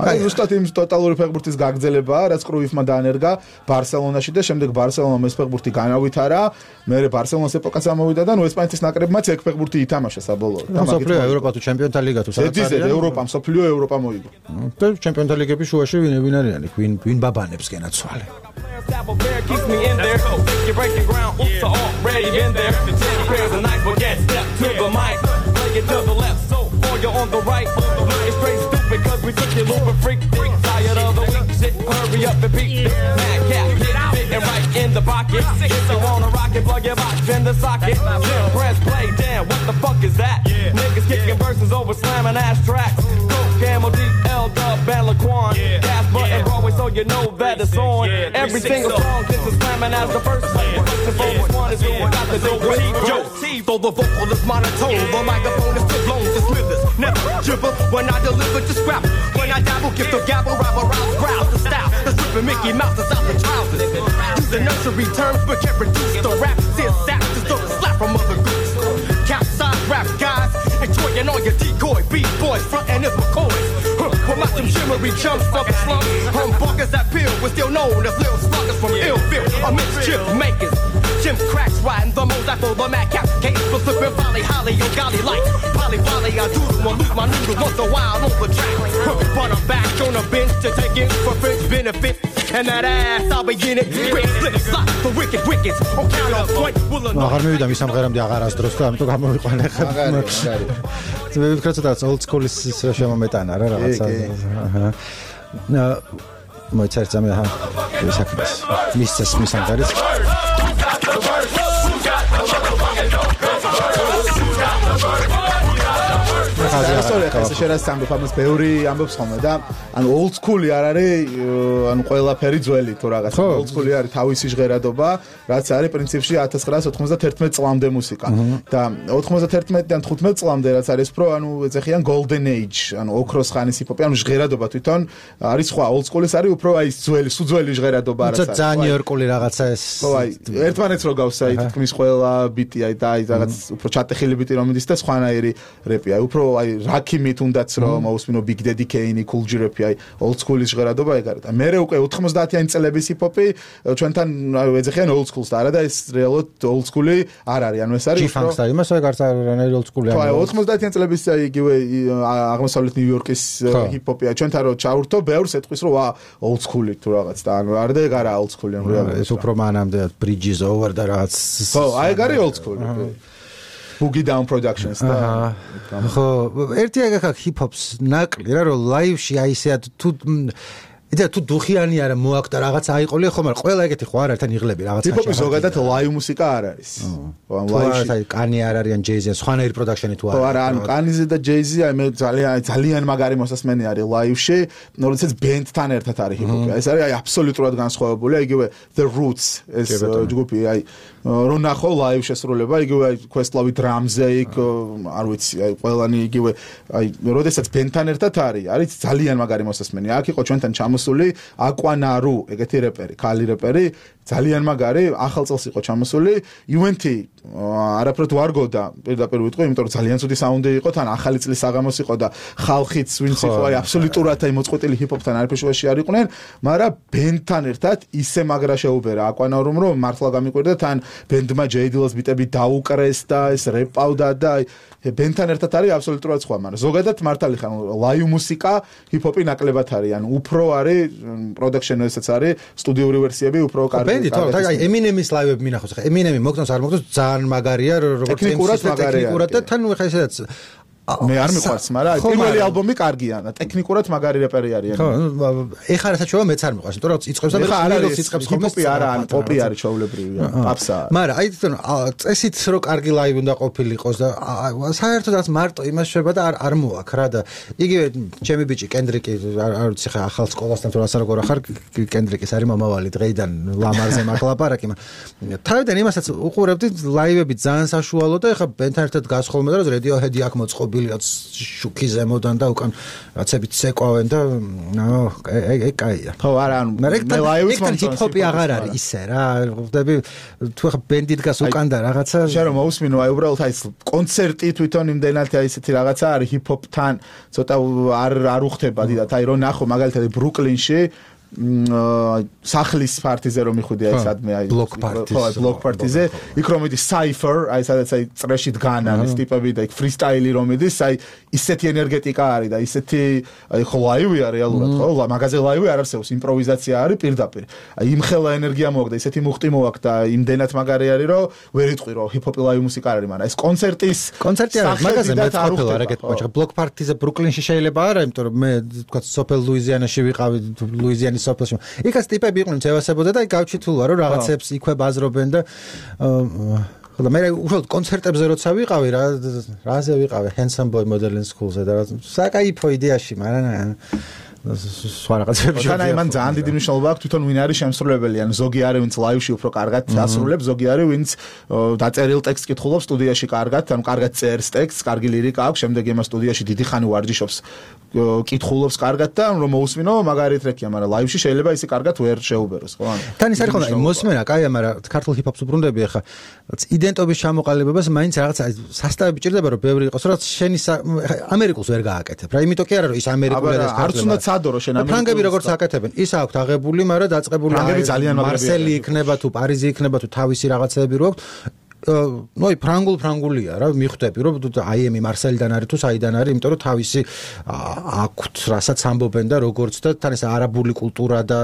აი ზუსტად იმ ტოტალური ფეხბურთის გაგრძელებაა, რაც კრუიფმა დაანერგა ბარსელონაში და შემდეგ ბარსელონამ ეს ფეხბურთი განავითარა, მერე ბარსელონას ეპოქაც ამოვიდა და ნუ ესპანეთის ნაკრებმაც ეგ ფეხბურთი ითამაშა საბოლოოდ. მსოფლიო ევროპა თუ ჩემპიონთა ლიგა თუ სადაც არის. ევროპა, მსოფლიო ევროპა მოიგო. და ჩემპიონთა ლიგების შუაში ვინ ვინ არიან, ვინ ვინ ბაბანებს გენაცვალე. Double bear keeps me in there. You're breaking ground, oops, already been there. The ten pairs of night, but can't step to the mic. Play it to the left, so for you on the right. It's straight stupid, cause we took your looping freak. Tired of the weak shit, hurry up and peek. Mad cat, hit fitting right in the pocket. If you wanna rock it, plug your box in the socket. Then press play, damn, what the fuck is that? Niggas kicking verses over slamming ass tracks. Coke, Camel, D, L, Dub, and Laquan. Gas button, Broadway, so you know that it's on. Every single song gets as slamming as the first one. The first one is who got the dope with Joe T. Though the vocal is monotone, the microphone is still blown to smithers. Never gibber when I deliver to scrap. When I dabble, give the gabble, rabble, rouse, growl, the style. The stripping Mickey Mouse is out the trousers. Using nursery terms, but can't reduce the rap. See a sack to start the slap from other groups. Capsize rap guys, enjoying all your decoy beat boys, frontin' is McCoys. With my some shimmery chumps from the slums. Humbuckers that peel, we're still known as little sluggers from Illville. Or mischief makers. Jim cracks riding the most after the mad cap. Case for slipping folly, holly, yo, golly like. Polly, polly, I do them, I lose my noodle once a while on the track. But I'm back on a bench to take it for French benefit. And that ass, I'll be in it. Quick, flip, slot, the wicked wickets. On count of point, will or not. აღარ მივიდა მის ამღერამდე აღარ ასდროს და ამიტომ გამოვიყვანე ხა. მაგარი, მაგარი. მე ვფიქრობ ცოტა old school-ის შემომეტანა რა რაღაცა. აჰა. ნა მოიცერცა მე ხა ვისაკდეს. მისცეს მის ამღერებს. ეს შეიძლება სამბობ ამას ბევრი ამბობს ხოლმე და ანუ old school-ი არ არის ანუ ყველაფერი ძველი თუ რაღაც old school-ი არის თავისი ჟღერადობა რაც არის პრინციპში ათას ცხრაას ოცდაათმეტ წლამდე მუსიკა და ოცდაათმეტიდან თხუთმეტ წლამდე რაც არის პრო ანუ ეძახიან golden age ანუ ოქროს ხანის ჰიპ-ჰოპი ანუ ჟღერადობა თვითონ არის სხვა old school-ის არის უფრო აი ძველი სუძველი ჟღერადობა რაც არის ძალიან ნიუ-იორკული რაღაცა ეს ხო აი ერთმანეთს რო გავსა აი თქმის ყველა ბიტი აი და აი რაღაც უფრო ჩატეხილი ბიტი რომ მიდის და სხვანაირი რეპი აი უფრო აი რაკიმით უნდაც რომ აუსმინო Big Daddy Kane, Cool G Rap აი old school-ის ჟღერადობა ეგ არის და მე უკვე ოთხმოცდაათიანი წლების ჰიპ-ჰოპი ჩვენთან აი ეძახიან old school-ს და არა და ეს რეალურად old school-ი არ არის ანუ ეს არის G-Funk და იმას ეგ არის რანერი old school-ი აი ოთხმოცდაათიანი წლების აი იგივე აღმოსავლეთ ნიუ-იორკის ჰიპ-ჰოპი აი ჩვენთან რო ჩაურთო ბევრს ეთქვის რომ ვა old school-ი თუ რაღაც და ანუ არა და ეგ არა old school-ი ანუ რეალურად ეს უფრო მანამდე Bridges Over და რაღაც ხო აი ეგ არის old school-ი Boogie Down Productions და ხო ერთი ეგ ხა ჰიპ-ჰოპს ნაკლი რა რომ ლაივში აი ესე თუ იდა თუ დუხიანი არა მოაკდა რაღაც აიყოლე ხო მაგრამ ყველა ეგეთი ხო არ არის თან იღლები რაღაც ჰიპ-ჰოპი ზოგადად ლაივ მუსიკა არ არის ხო ლაივში კანი არ არიან ჯეიზი სხვანაირი პროდაქშენი თუ არა ხო არა ანუ კანიზე და ჯეიზი აი მე ძალიან ძალიან მაგარი მოსასმენი არის ლაივში როდესაც ბენდთან ერთად არის ჰიპ-ჰოპი ეს არის აი აბსოლუტურად განსხვავებული იგივე The Roots ეს ჯგუფი აი რო ნახო ლაივ შესრულება იგივე აი Questlove დრამზე იქ არ ვიცი აი ყველანი იგივე აი როდესაც ბენდთან ერთად არის არის ძალიან მაგარი მოსასმენი აქ იყო ჩვენთან ჩამოსული აკვანარუ ეგეთი რეპერი ქალი რეპერი ძალიან მაგარი ახალ წელს იყო ჩამოსული იუენტი არაფრად ვარგოდა პირდაპირ ვიტყვი იმიტომ რომ ძალიან ცუდი საუნდი იყო თან ახალი წლის საღამოს იყო და ხალხიც ვინც იყო აი აბსოლუტურად აი მოწყვეტილი ჰიპ-ჰოპთან არაფერში არ იყვნენ მაგრამ ბენდთან ერთად ისე მაგრა შეუბერა აკვანარუმ რომ მართლა გამიკვირდა თან ბენდმა ჯეიდილოს ბიტები დაუკრეს და ეს რეპავდა და აი ბენდთან ერთად არის აბსოლუტურად სხვა მაგრამ ზოგადად მართალი ხან ლაივ მუსიკა ჰიპ-ჰოპი ნაკლებად არის ანუ უფრო არის არის production ესაც არის სტუდიური ვერსიები უფრო კარგი. ბენდი თორე აი Eminem-ის ლაივები მინახავს ხა Eminem-ი მოგწონს არ მოგწონს ძალიან მაგარია როგორც ტექნიკურად და თან ხა ესეც მე არ მიყვარს, მაგრამ პირველი ალბომი კარგია და ტექნიკურად მაგარი რეპერი არიან. ხო, ეხლა რასაც მეც არ მიყვარს, იმიტომ რომ იწყებს და ხალხს იწყებს ხოლმე ჰიპ-ჰოპი არა, ან პოპი არის ჩაოლებრივია, აფსაა. მაგრამ აი თვითონ წესით რო კარგი ლაივი უნდა ყოფილიყოს და საერთოდაც მარტო იმას შეება და არ არ მოაქ რა და იგივე ჩემი ბიჭი კენდრიკი არ ვიცი ხა ახალ სკოლასთან თუ რას როგორ ახარ კენდრიკის არის მომავალი დღეიდან ლამარზე მახლაპარაკი, მაგრამ თავიდან იმასაც უყურებდი ლაივები ძალიან საშუალო და ეხა ბენთან ერთად გასხოლმე და Radiohead-ი აქ მოწყობილი რაც შუქი ზემოდან და უკან რაცებით ცეკვავენ და ნო ეგ კაია. ხო არა ანუ მე ლაივიც მომწონს. ჰიპ-ჰოპი აღარ არის ისე რა. ხვდები თუ ხა ბენდი დგას უკან და რაღაცა შენ რომ მოусმინო აი უბრალოდ აი კონცერტი თვითონ იმდენად აი ესეთი რაღაცა არის ჰიპ-ჰოპთან ცოტა არ არ უხდება დიდად აი რომ ნახო მაგალითად ბრუკლინში სახლის პარტიზე რომ მიხუდი აი სადმე აი ბლოკ პარტიზე ხო ბლოკ პარტიზე იქ რომ მიდის საიფერ აი სადაც აი წრეში დგანან ეს ტიპები და იქ ფრისტაილი რომ მიდის აი ისეთი ენერგეტიკა არის და ისეთი აი ხო ლაივია რეალურად ხო მაგაზე ლაივი არ არსებობს იმპროვიზაცია არის პირდაპირ აი იმხელა ენერგია მოაქვს და ისეთი მუხტი მოაქვს და იმდენად მაგარი არის რომ ვერ იტყვი რომ ჰიპ-ჰოპი ლაივი მუსიკა არის მაგრამ ეს კონცერტის კონცერტი არის მაგაზე მეც ყოფილა რა გეტყვი ბლოკ პარტიზე ბრუკლინში შეიძლება არა იმიტომ რომ მე თქვა სოფელ ლუიზიანაში ვიყავი ლუიზიანის სოფელში. იქაც ტიპები იყვნენ ცევასებოდა და აი გავჩითულვა რომ რაღაცებს იქვე ბაზრობენ და ხო და მე უშუალოდ კონცერტებზე როცა ვიყავი რა რაზე ვიყავი Handsome Boy Modeling School-ზე და საკაიფო იდეაში, მაგრამ სხვა რაღაცებში. თან აი მან ძალიან დიდი მნიშვნელობა აქვს თვითონ ვინ არის შემსრულებელი, ან ზოგი არის ვინც ლაივში უფრო კარგად ასრულებს, ზოგი არის ვინც დაწერილ ტექსტს კითხულობს სტუდიაში კარგად, ანუ კარგად წერს ტექსტს, კარგი ლირიკა აქვს, შემდეგ იმას სტუდიაში დიდი ხანი ვარჯიშობს, კითხულობს კარგად და რომ მოусმინო მაგარი ტრეკია, მაგრამ ლაივში შეიძლება ისე კარგად ვერ შეუბეროს, ხო? თან ის არის ხოლმე მოსმენა, კაია, მაგრამ ქართულ ჰიპ-ჰოპს უბრუნდები ახლა იდენტობის ჩამოყალიბებას მაინც რაღაცა სასტავები ჭირდება რომ ბევრი იყოს, რაც შენი ამერიკულს ვერ გააკეთებ. რა იმიტომ კი არა რომ ის ამერიკული და ქართული სადორო შენ ამერიკული ფრანგები როგორც აკეთებენ ის აქვთ აღებული მაგრამ დაწყებული მარსელი იქნება თუ პარიზი იქნება თუ თავისი რაღაცები რო აქვს ნუ აი ფრანგულ ფრანგულია რა მიხვდები რომ აი ემი მარსელიდან არის თუ საიდან არის იმიტომ რომ თავისი აქვთ რასაც ამბობენ და როგორც და თან ეს არაბული კულტურა და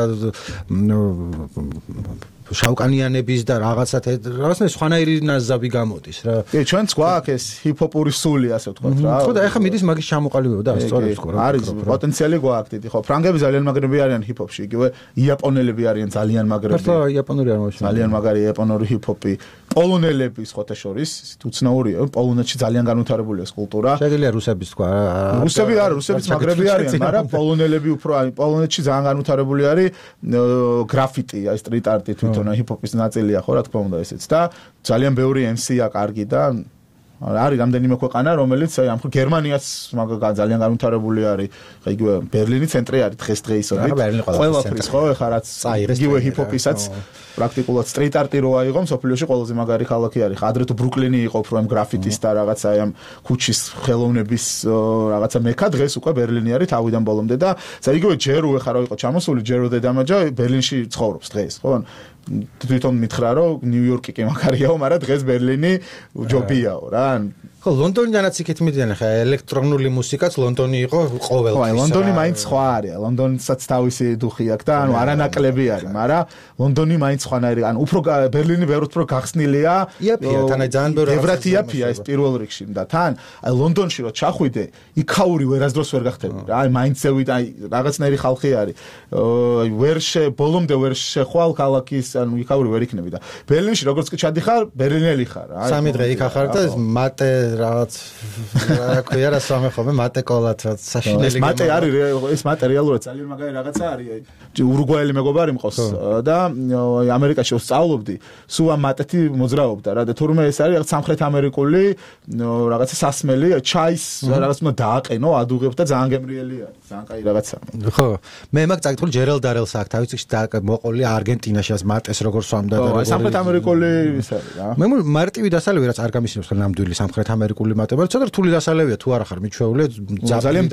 შავკანიანების და რაღაცა რაღაცნაირ სხვანაირი ნაზავი გამოდის რა. კი, ჩვენც გვაქვს ეს ჰიპ-ჰოპური სული, ასე ვთქვათ რა. ხო და ეხლა მიდის მაგის ჩამოყალიბება და სწორებს ხო რა. არის პოტენციალი გვაქვს დიდი, ხო. ფრანგები ძალიან მაგრები არიან ჰიპ-ჰოპში, იგივე იაპონელები არიან ძალიან მაგრები. ხო, იაპონური არ მოშვა. ძალიან მაგარი იაპონური ჰიპ-ჰოპი. პოლონელები სხვათა შორის, უცნაურია, პოლონეთში ძალიან განვითარებულია ეს კულტურა. შეგიძლია რუსების თქვა რა. რუსები არ, რუსებიც მაგრები არიან, მაგრამ პოლონელები უფრო აი პოლონეთში ძალიან განვითარებული არის გრაფიტი, აი სტრიტ არტი თვითონ ჰიპ-ჰოპის ნაწილია ხო რა თქმა უნდა ესეც და ძალიან ბევრი ემ სი-ა კარგი და არის რამდენიმე ქვეყანა რომელიც აი ამ გერმანიაც ძალიან განვითარებული არის ხა იგივე ბერლინი ცენტრი არის დღეს დღეისობით ყველაფრის ხო ხა რაც იგივე ჰიპ-ჰოპისაც პრაქტიკულად სტრიტ არტი რო აიღო მსოფლიოში ყველაზე მაგარი ქალაქი არის ხა ადრე თუ ბრუკლინი იყო უფრო ამ გრაფიტის და რაღაცა ამ ქუჩის ხელოვნების რაღაცა მექა დღეს უკვე ბერლინი არის თავიდან ბოლომდე და იგივე ჯერო ხა რო იყო ჩამოსული ჯერო დედამაჯა ბერლინში ცხოვრობს დღეს ხო თვითონ მითხრა რომ ნიუ-იორკი კი მაგარიაო, მაგრამ დღეს ბერლინი ჯობიაო რა. ხო, ლონდონიდანაც იქით მიდიან ხა ელექტრონული მუსიკაც ლონდონი იყო ყოველთვის. ხო, ლონდონი მაინც სხვა არის. ლონდონსაც თავისი დუხი აქვს და ანუ არანაკლები არის, მაგრამ ლონდონი მაინც სხვანაირი, ანუ უფრო ბერლინი ბევრად უფრო გახსნილია. იაფია, თან აი ძალიან ბევრი ევრათ იაფია ეს პირველ რიგში და თან აი ლონდონში რო ჩახვიდე, იქაური ვერასდროს ვერ გახდები რა. აი მაინც ზევით აი რაღაცნაირი ხალხი არის. აი ვერ შე ბოლომდე ვერ შეხვალ ქალაქის ანუ იქაური ვერ იქნები და ბერლინში როგორც კი ჩადიხარ ბერლინელი ხარ რა სამი დღე იქ ახარ და მატე რაღაც რა ქვია რა სამე ხოლმე მატე კოლად რა საშინელი მატე არის ეს მატე რეალურად ძალიან მაგარი რაღაცა არის აი ურუგვაელი მეგობარი მყავს და ამერიკაში ვსწავლობდი სულ ამ მატეთი მოძრაობდა რა და თურმე ეს არის რაღაც სამხრეთ ამერიკული რაღაცა სასმელი ჩაის რაღაც უნდა დააყენო ადუღებს და ძალიან გემრიელი არის ძალიან კაი რაღაცა ხო მე მაგ წაკითხული ჯერალ დარელს აქვს თავის წიგში და მოყოლი არგენტინაში ეს მატე ეს როგორ სვამდა და სამხრეთ ამერიკული ის არის რა. მე მარტივი დასალევი რაც არ გამისინებს ნამდვილი სამხრეთ ამერიკული მატებად. ცოტა რთული დასალევია თუ არ ახარ მიჩვეული, ძალიან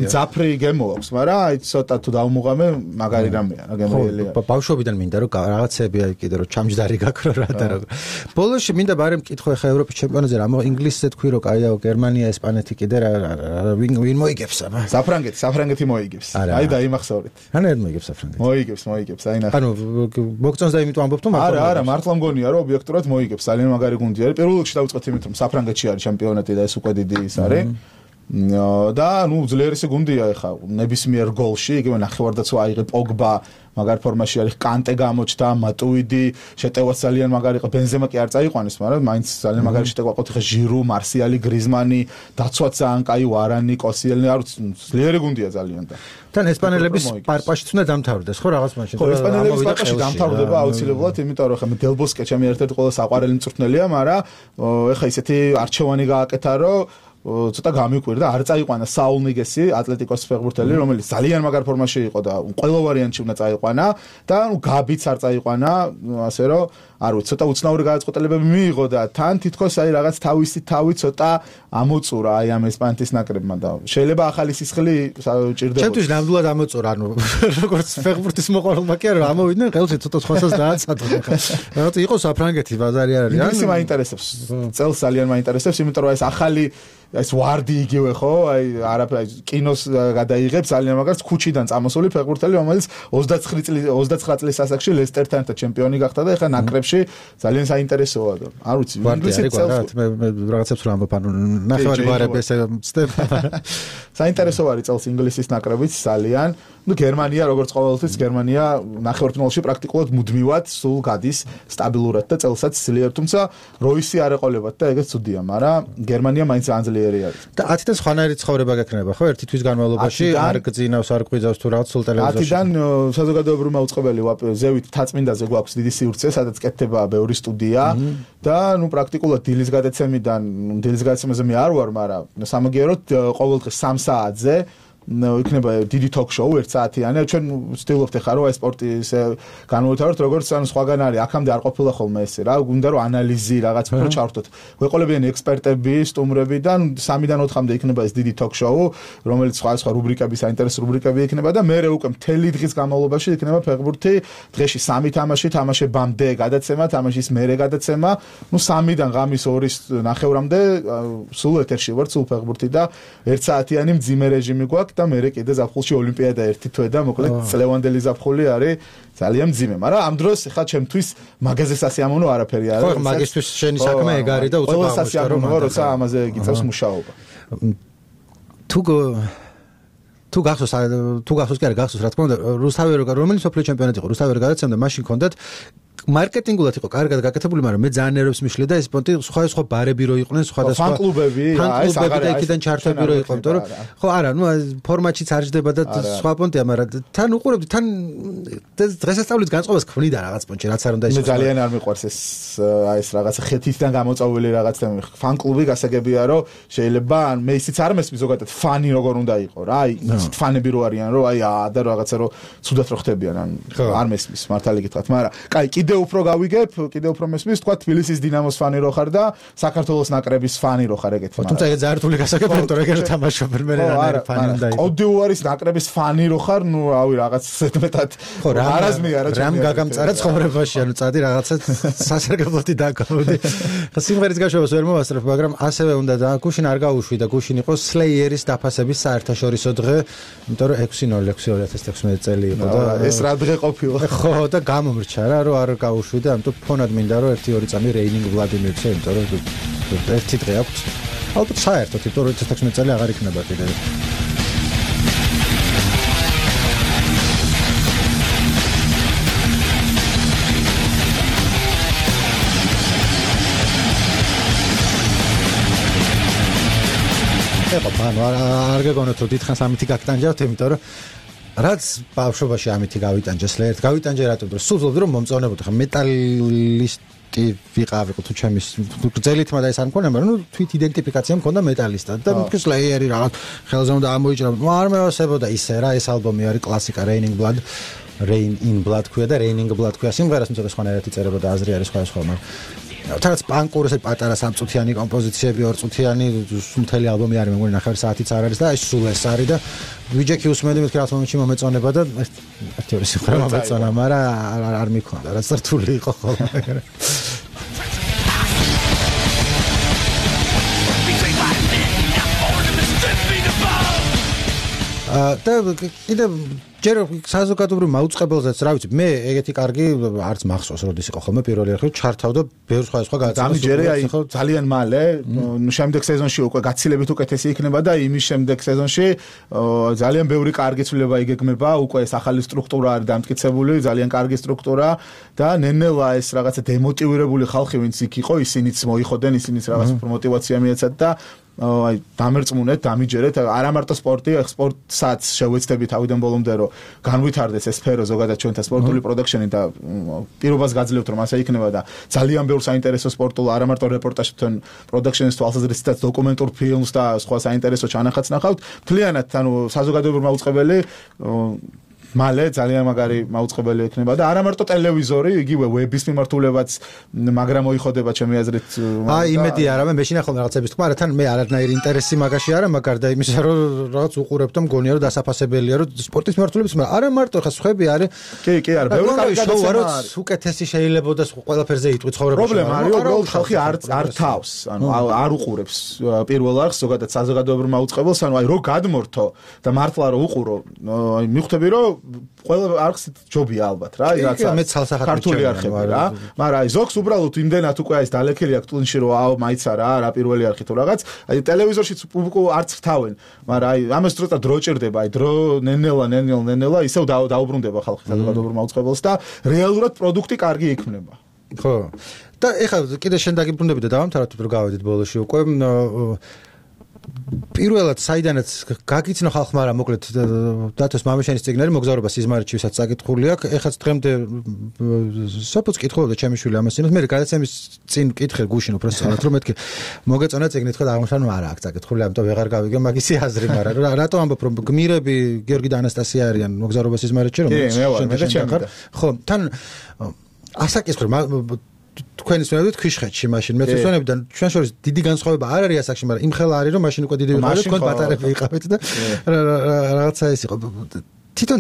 მძაფრი გემო აქვს, მაგრამ აი ცოტა თუ დავმუღამე, მაგარი რამეა, რა გემოელია. ბავშვობიდან მინდა რომ რაღაცები აი კიდე რომ ჩამჯდარი გაქრო რა და რა. ბოლოში მინდა ბარე მკითხო ხა ევროპის ჩემპიონატზე რა ინგლისზე თქვი რომ კაია გერმანია, ესპანეთი კიდე რა ვინ ვინ მოიგებს აბა. საფრანგეთი, საფრანგეთი მოიგებს. აი დაიმახსოვრეთ. რანაირად მოიგებს საფრანგეთი? მოიგებს, მოიგებს, აი ნახე. ანუ მოგწონს და იმიტომ ამბობ თუ მაგრამ არა, არა, მართლა მგონია რომ ობიექტურად მოიგებს. ძალიან მაგარი გუნდი არის. პირველ რიგში დავიწყოთ იმით რომ საფრანგეთში არის ჩემპიონატი და ეს უკვე დიდი ის არის. და ნუ ძლიერესი გუნდია ეხა ნებისმიერ გოლში, იგივე ნახევარდაცვა აიღე პოგბა, მაგარ ფორმაში არის კანტე გამოჩნდა, მატუიდი, შეტევაც ძალიან მაგარი იყო, ბენზემა კი არ წაიყვანეს, მაგრამ მაინც ძალიან მაგარი შეტევა ყოთ ეხა ჟირო, მარსიალი, გრიზმანი, დაცვაც ძალიან კაი, ვარანი, კოსიელნი, არ ვიცი, ძლიერი გუნდია ძალიან და თან ესპანელების პარპაშიც უნდა დამთავრდეს, ხო რაღაც მაშინ. ხო, ესპანელების პარპაში დამთავრდება აუცილებლად, იმიტომ რომ ხა მე დელბოსკე ჩემი ერთ-ერთი ყველა საყვარელი მწვრთნელია, მაგრამ ეხა ისეთი არჩევანი გააკეთა, რომ ცოტა გამიკვირდა, არ წაიყვანა საულ ნიგესი, ატლეტიკოს ფეხბურთელი, რომელიც ძალიან მაგარ ფორმაში იყო და ყველა ვარიანტში უნდა წაიყვანა და ნუ გაბიც არ წაიყვანა, ასე რომ არ ვიცი, ცოტა უცნაური გადაწყვეტილებები მიიღო და თან თითქოს აი რაღაც თავისი თავი ცოტა ამოწურა აი ამ ესპანეთის ნაკრებმა და შეიძლება ახალი სისხლი ჭირდებოდა. ჩემთვის ნამდვილად ამოწურა, ანუ როგორც ფეხბურთის მოყვარულმა კი არა, ამოვიდნენ ყელში ცოტა სხვასაც დააცადო. რაღაც იყო საფრანგეთი ბაზარი არ არის. ინგლისი მაინტერესებს. წელს ძალიან მაინტერესებს, იმიტომ რომ ეს ახალი ეს ვარდი იგივე ხო, აი არაფერი კინოს გადაიღებს ძალიან მაგარს ქუჩიდან წამოსული ფეხბურთელი, რომელიც ოცდაცხრი წლის ოცდაცხრა წლის ასაკში ლესტერთან და ჩემპიონი გახდა და ეხლა ნაკრებში ძალიან საინტერესოა და არ ვიცი ინგლისი წელს მე რაღაცებს რა ამბობ, ანუ ნახევარი ვარები ესე მწდებ. საინტერესო არის წელს ინგლისის ნაკრებიც ძალიან. ნუ გერმანია როგორც ყოველთვის გერმანია ნახევარფინალში პრაქტიკულად მუდმივად სულ გადის სტაბილურად და წელსაც ძლიერ, თუმცა როისი არ ეყოლებათ და ეგეც ცუდია, მაგრამ გერმანია მაინც ძალიან ძლიერი არის. და ათიდან სხვანაირი ცხოვრება გექნება, ხო? ერთი თვის განმავლობაში არ გძინავს, არ ყვიძავს თუ რაღაც სულ ტელევიზორში. ათიდან საზოგადოებრივი მაუწყებელი ზევით თაწმინდაზე გვაქვს დიდი სივრცე, სადაც კეთდება ბევრი სტუდია და ნუ პრაქტიკულად დილის გადაცემიდან, დილის გადაცემაზე მე არ ვარ, მაგრამ სამაგიეროდ ყოველდღე სამ საათზე იქნება დიდი ток-შოუ ერთ საათიანი. ჩვენ ვცდილობთ ახლა რომ აი სპორტი ისე განვთავროთ, როგორც ან სხვაგან არის. აქამდე არ ყოფილა ხოლმე ესე რა. გვინდა რომ ანალიზი რაღაც უფრო ჩავთოთ. გვეყოლებიან ექსპერტები, სტუმრები და სამიდან ოთხამდე იქნება ეს დიდი ток-შოუ, რომელიც სხვა სხვა რუბრიკები, საინტერესო რუბრიკები იქნება და მეორე უკვე მთელი დღის განმავლობაში იქნება ფეხბურთი. დღეში სამი თამაში, თამაშებამდე გადაცემა, თამაშის მერე გადაცემა. ნუ სამიდან ღამის ორის ნახევრამდე სულ ეთერში ვარ, სულ ფეხბურთი და ერთ საათიანი მძიმე რეჟიმი გვაქვს. და მე კიდე ზაფხულში ოლიმპიადა ერთი თვე და მოკლედ წლევანდელი ზაფხული არის ძალიან მძიმე, მაგრამ ამ დროს ხა ჩემთვის მაგაზე სასიამოვნო არაფერი არ არის. ხო, მაგისთვის შენი საქმე ეგ არის და უცებ სასიამოვნოა, როცა ამაზე გიწევს მუშაობა. თუ თუ გახსოვს თუ გახსოვს კი არა გახსოვს რა თქმა უნდა რუსთავი რომელიც სოფლიო ჩემპიონატი იყო რუსთავი გადაცემდა მაშინ კონდათ მარკეტინგულად იყო კარგად გაკეთებული, მაგრამ მე ძალიან ნერვებს მიშლე და ეს პონტი სხვა სხვა ბარები რო იყვნენ, სხვადასხვა ფან-კლუბები, აი საგარა იქიდან ჩართები რო იყო, იმიტომ რომ ხო არა, ნუ ფორმატშიც არ ჯდება და სხვა პონტია, მაგრამ თან უყურებდი, თან დღესასწაულის განწყობას ქმნიდა რაღაც პონტში, რაც არ უნდა ის. მე ძალიან არ მიყვარს ეს აი ეს რაღაც ხეთიდან გამოწვეული რაღაც ფან-კლუბი გასაგებია, რომ შეიძლება ან მე ისიც არ მესმის ზოგადად ფანი როგორ უნდა იყოს რა, აი ისეთ ფანები რო არიან, რომ აი და რაღაცა რო ცუდად რო ხდებიან, ან არ მესმის მართალი გითხრათ, მაგრამ კაი კიდე უფრო გავიგებ, კიდე უფრო მესმის, თქვა თბილისის დინამოს ფანი რო ხარ და საქართველოს ნაკრების ფანი რო ხარ ეგეთი. თუმცა ეგ ძალიან რთული გასაგებია, იმიტომ რომ ეგ თამაშობენ მე რა ფანი უნდა იყოს. კოდიუარის ნაკრების ფანი რო ხარ, ნუ რავი რაღაც ზედმეტად არაზმი არა რამ გაგამწარა ცხოვრებაში, ანუ წადი რაღაცა სასარგებლოთი დაგავდი. სიმღერის გაშვებას ვერ მოვასწრებ, მაგრამ ასევე უნდა და გუშინ არ გაუშვი და გუშინ იყო სლეიერის დაფასების საერთაშორისო დღე, იმიტომ რომ ექვსი ნოლი ექვსი ორი ათას თექვსმეტი წელი იყო და ეს რა დღე ყოფილა. ხო და გამომრჩა რა, რომ არ გაუშვი და ამიტომ ფონად მინდა რომ ერთი ორი წამი რეინინგ ვლადიმირცე, იმიტომ რომ ერთი დღე აქვს. ალბათ საერთოდ, იმიტომ რომ ათას თექვსმეტი წელი აღარ იქნება კიდე. ეხლა ბანო არ გეგონოთ რომ დიდხანს ამითი გაგტანჯავთ, იმიტომ რომ რაც ბავშვობაში ამითი გავიტანჯეს ლერთ, გავიტანჯე რატომ რომ სულ ვძლობდი რომ მომწონებოდი, ხა მეტალისტი ვიყავიყო თუ ჩემის გრძელითმა და ეს არ მქონია, მაგრამ ნუ თვით იდენტიფიკაცია მქონდა მეტალისტად და მის ლეიერი რაღაც ხელზე უნდა ამოიჭრა, ნუ არ მევასებოდა ისე რა, ეს ალბომი არის კლასიკა, Raining Blood, Rain in Blood ქვია და Raining Blood ქვია სიმღერას, თუმცა სხვანაირად იწერებოდა, აზრი არის სხვა სხვა, მაგრამ თუნდაც პანკური ესე პატარა სამწუთიანი კომპოზიციები, ორწუთიანი მთელი ალბომი არის, მეგონი ნახევარი საათიც არ არის და ეს სულ ეს არის და ვიჯექი უსმენდი მეთქი რა მომენტში მომეწონება და ერთი ორი სიმღერა მომეწონა, მაგრამ არ მიქონდა, რაც რთული იყო ხოლმე. და კიდე ჯერ საზოგადოებრივ მაუწყებელზეც რა ვიცი მე ეგეთი კარგი არც მახსოვს როდის იყო ხოლმე პირველი ერთხელ ჩართავდა ბევრ სხვა სხვა გადაცემას ამი ჯერე აი ძალიან მალე შემდეგ სეზონში უკვე გაცილებით უკეთესი იქნება და იმის შემდეგ სეზონში ძალიან ბევრი კარგი ცვლილება იგეგმება უკვე ეს ახალი სტრუქტურა არის დამტკიცებული ძალიან კარგი სტრუქტურა და ნენელა ეს რაღაცა დემოტივირებული ხალხი ვინც იქ იყო ისინიც მოიხოდენ ისინიც რაღაც მოტივაცია მიეცათ და აი დამერწმუნეთ, დამიჯერეთ, არა მარტო სპორტი, სპორტსაც შევეცდები თავიდან ბოლომდე რომ განვითარდეს ეს სფერო ზოგადად ჩვენთა სპორტული პროდუქშენი და პირობას გაძლევთ რომ ასე იქნება და ძალიან ბევრ საინტერესო სპორტულ არა მარტო რეპორტაჟთან პროდუქშენის თვალსაზრისითაც დოკუმენტურ ფილმს და სხვა საინტერესო ჩანახატს ნახავთ. მთლიანად ანუ საზოგადოებრივი მაუწყებელი მალე ძალიან მაგარი მაუწყებელი ექნება და არა მარტო ტელევიზორი, იგივე ვების მიმართულებაც მაგრამ მოიხოდება ჩემი აზრით. აი იმედი არა მე მეშინა ხოლმე რაღაცების თქმა, რათან მე არანაირი ინტერესი მაგაში არა, მაგარ და იმისა რომ რაღაც უყურებ და მგონია რომ დასაფასებელია რომ სპორტის მიმართულების, მაგრამ არა მარტო ხა სხვები არის. კი, კი, არა, ბევრი კარგი შოუ არის, უკეთესი შეიძლება და ყველაფერზე იტყვი ცხოვრებაში. პრობლემა არის, უბრალოდ ხალხი არ არ თავს, ანუ არ უყურებს პირველ არხს, ზოგადად საზოგადოებრივ მაუწყებელს, ანუ აი რო გადმორთო და მართლა რო უყურო, აი მიხვდები რომ ყველა არხს ჯობია ალბათ რა, რაც ქართული არხები რა. მაგრამ აი ზოგს უბრალოდ იმდენად უკვე ეს დალექილი აქვს ტუნში რომ აუ მაიცა რა, რა პირველი არხი თუ რაღაც. აი ტელევიზორშიც არც ვრთავენ, მაგრამ აი ამას დროთა დრო ჭირდება, აი დრო ნენელა, ნენელა, ნენელა ისევ დაუბრუნდება ხალხი საზოგადოებრივ მაუწყებელს და რეალურად პროდუქტი კარგი იქნება. ხო. და ეხლა კიდე შენ დაგიბრუნდები და დავამთავროთ რომ გავედით ბოლოში უკვე პირველად საიდანაც გაგიცნო ხალხმა რა მოკლედ დათოს მამიშენის ციგნარი მოგზაურობა სიზმარიჩისაც საკითხული აქვს. ეხაც დღემდე სოფოც კითხულობდა ჩემი შვილი ამას იმას მე გადაცემის წინ კითხე გუშინ უფრო სწორად რომ მეთქი მოგეწონა ციგნი თქვა აღმოჩნდა რომ არა აქვს საკითხული ამიტომ ვეღარ გავიგე მაგისი აზრი მაგრამ რატო ამბობ რომ გმირები გიორგი და ანასტასია არიან მოგზაურობა სიზმარიჩი რომ შენ ხარ ხო თან ასაკითხული თქვენი ცნობებით ქვიშხეთში მაშინ მეცნიერებიდან ჩვენ შორის დიდი განსხვავება არ არის ასაკში, მაგრამ იმ ხელა არის რომ მაშინ უკვე დიდი ვიყავით, თქვენ პატარები იყავით და რაღაცა ეს იყო. თვითონ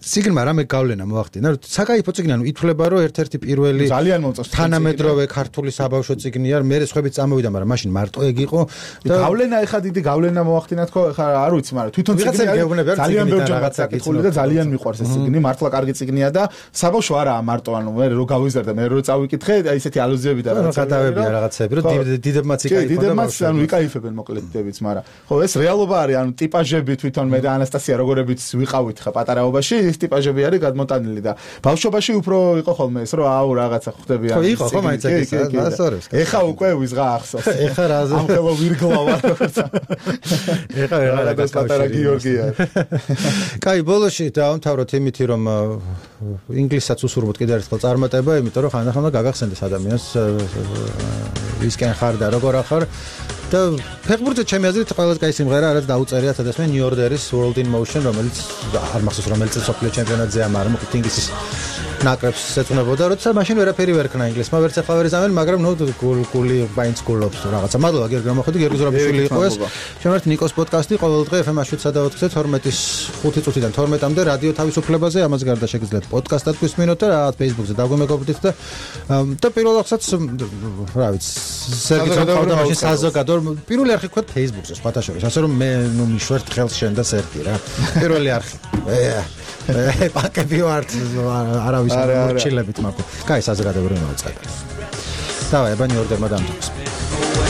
ციგნმა რამე გავლენა მოახდინა, რომ საკაიფო ციგნი, ანუ ითვლება რომ ერთ-ერთი პირველი ძალიან მომწონს თანამედროვე ქართული საბავშვო ციგნია, მე სხვებიც წამოვიდა, მაგრამ მაშინ მარტო ეგ იყო და გავლენა ეხა დიდი გავლენა მოახდინა თქო, ეხა არ ვიცი, მაგრამ თვითონ ციგნი ძალიან ბევრი რაღაცა კითხული და ძალიან მიყვარს ეს ციგნი, მართლა კარგი ციგნია და საბავშვო არაა მარტო, ანუ მე რო გავიზარდა, მე რო წავიკითხე, აი ესეთი ალუზიები და რაღაცებია რაღაცები, რომ დიდებმაც იკაიფებენ. დიდებმაც ანუ იკაიფებენ მოკლედ დიდებიც, მაგრამ ხო ეს რეალობა არის, ანუ ტიპაჟები თვითონ მე და ანასტასია როგორებიც ვიყავით ხა პატარაობაში ტიპაჟები არის გადმოტანილი და ბავშვობაში უფრო იყო ხოლმე ეს რომ აუ რაღაცა ხვდები ხო იყო ხო მაინც ეგ ასორებს ეხა უკვე ვიზღა ახსოვს ეხა რაზე ამ ხელო ვირგლავა ეხა რაღაც პატარა გიორგია კაი ბოლოში დავამთავროთ იმითი რომ ინგლისსაც უსურვოთ კიდევ ერთხელ წარმატება იმიტომ რომ ხანდახან გაგახსენდეს ადამიანს ვისკენ ხარ და როგორ ახარ და ფეხბურთზე ჩემი აზრით ყველაზე კაი სიმღერა რაც დაუწერია სადაც მე New Order-ის World in Motion რომელიც არ მახსოვს რომელიც სოფლიო ჩემპიონატზეა მაგრამ მოკლედ ინგლისის ნაკრებს ეწუნებოდა როცა მაშინ ვერაფერი ვერ ქნა ინგლისმა ვერც ახლა ვერ ზამენ მაგრამ ნუ გული ბაინც გულობს რაღაცა მადლობა გიორგი გამოხედი გიორგი ზურაბიშვილი იყო ეს შემართ ნიკოს პოდკასტი ყოველ დღე ეფ ემ შვიდსა და ოთხზე თორმეტის ხუთი წუთიდან თორმეტამდე რადიო თავისუფლებაზე ამას გარდა შეგიძლიათ პოდკასტად გვისმინოთ და რაღაც Facebook-ზე დაგვემეგობრდით და და პირველ რიგშიც რა ვიცი საზოგადოებრივ მაშინ საზოგადოებრივ პირველი არხი ვქოთ Facebook-ზე სხვათა შორის ასე რომ მე ნუ მიშვერთ ხელს შენ და სერგი რა პირველი არხი ე პაკები ვართ არავის არ ჩილებით მაგო კაი საზოგადოებრივი მოწყება დავაი ბანი ორდერმა დამთავრდა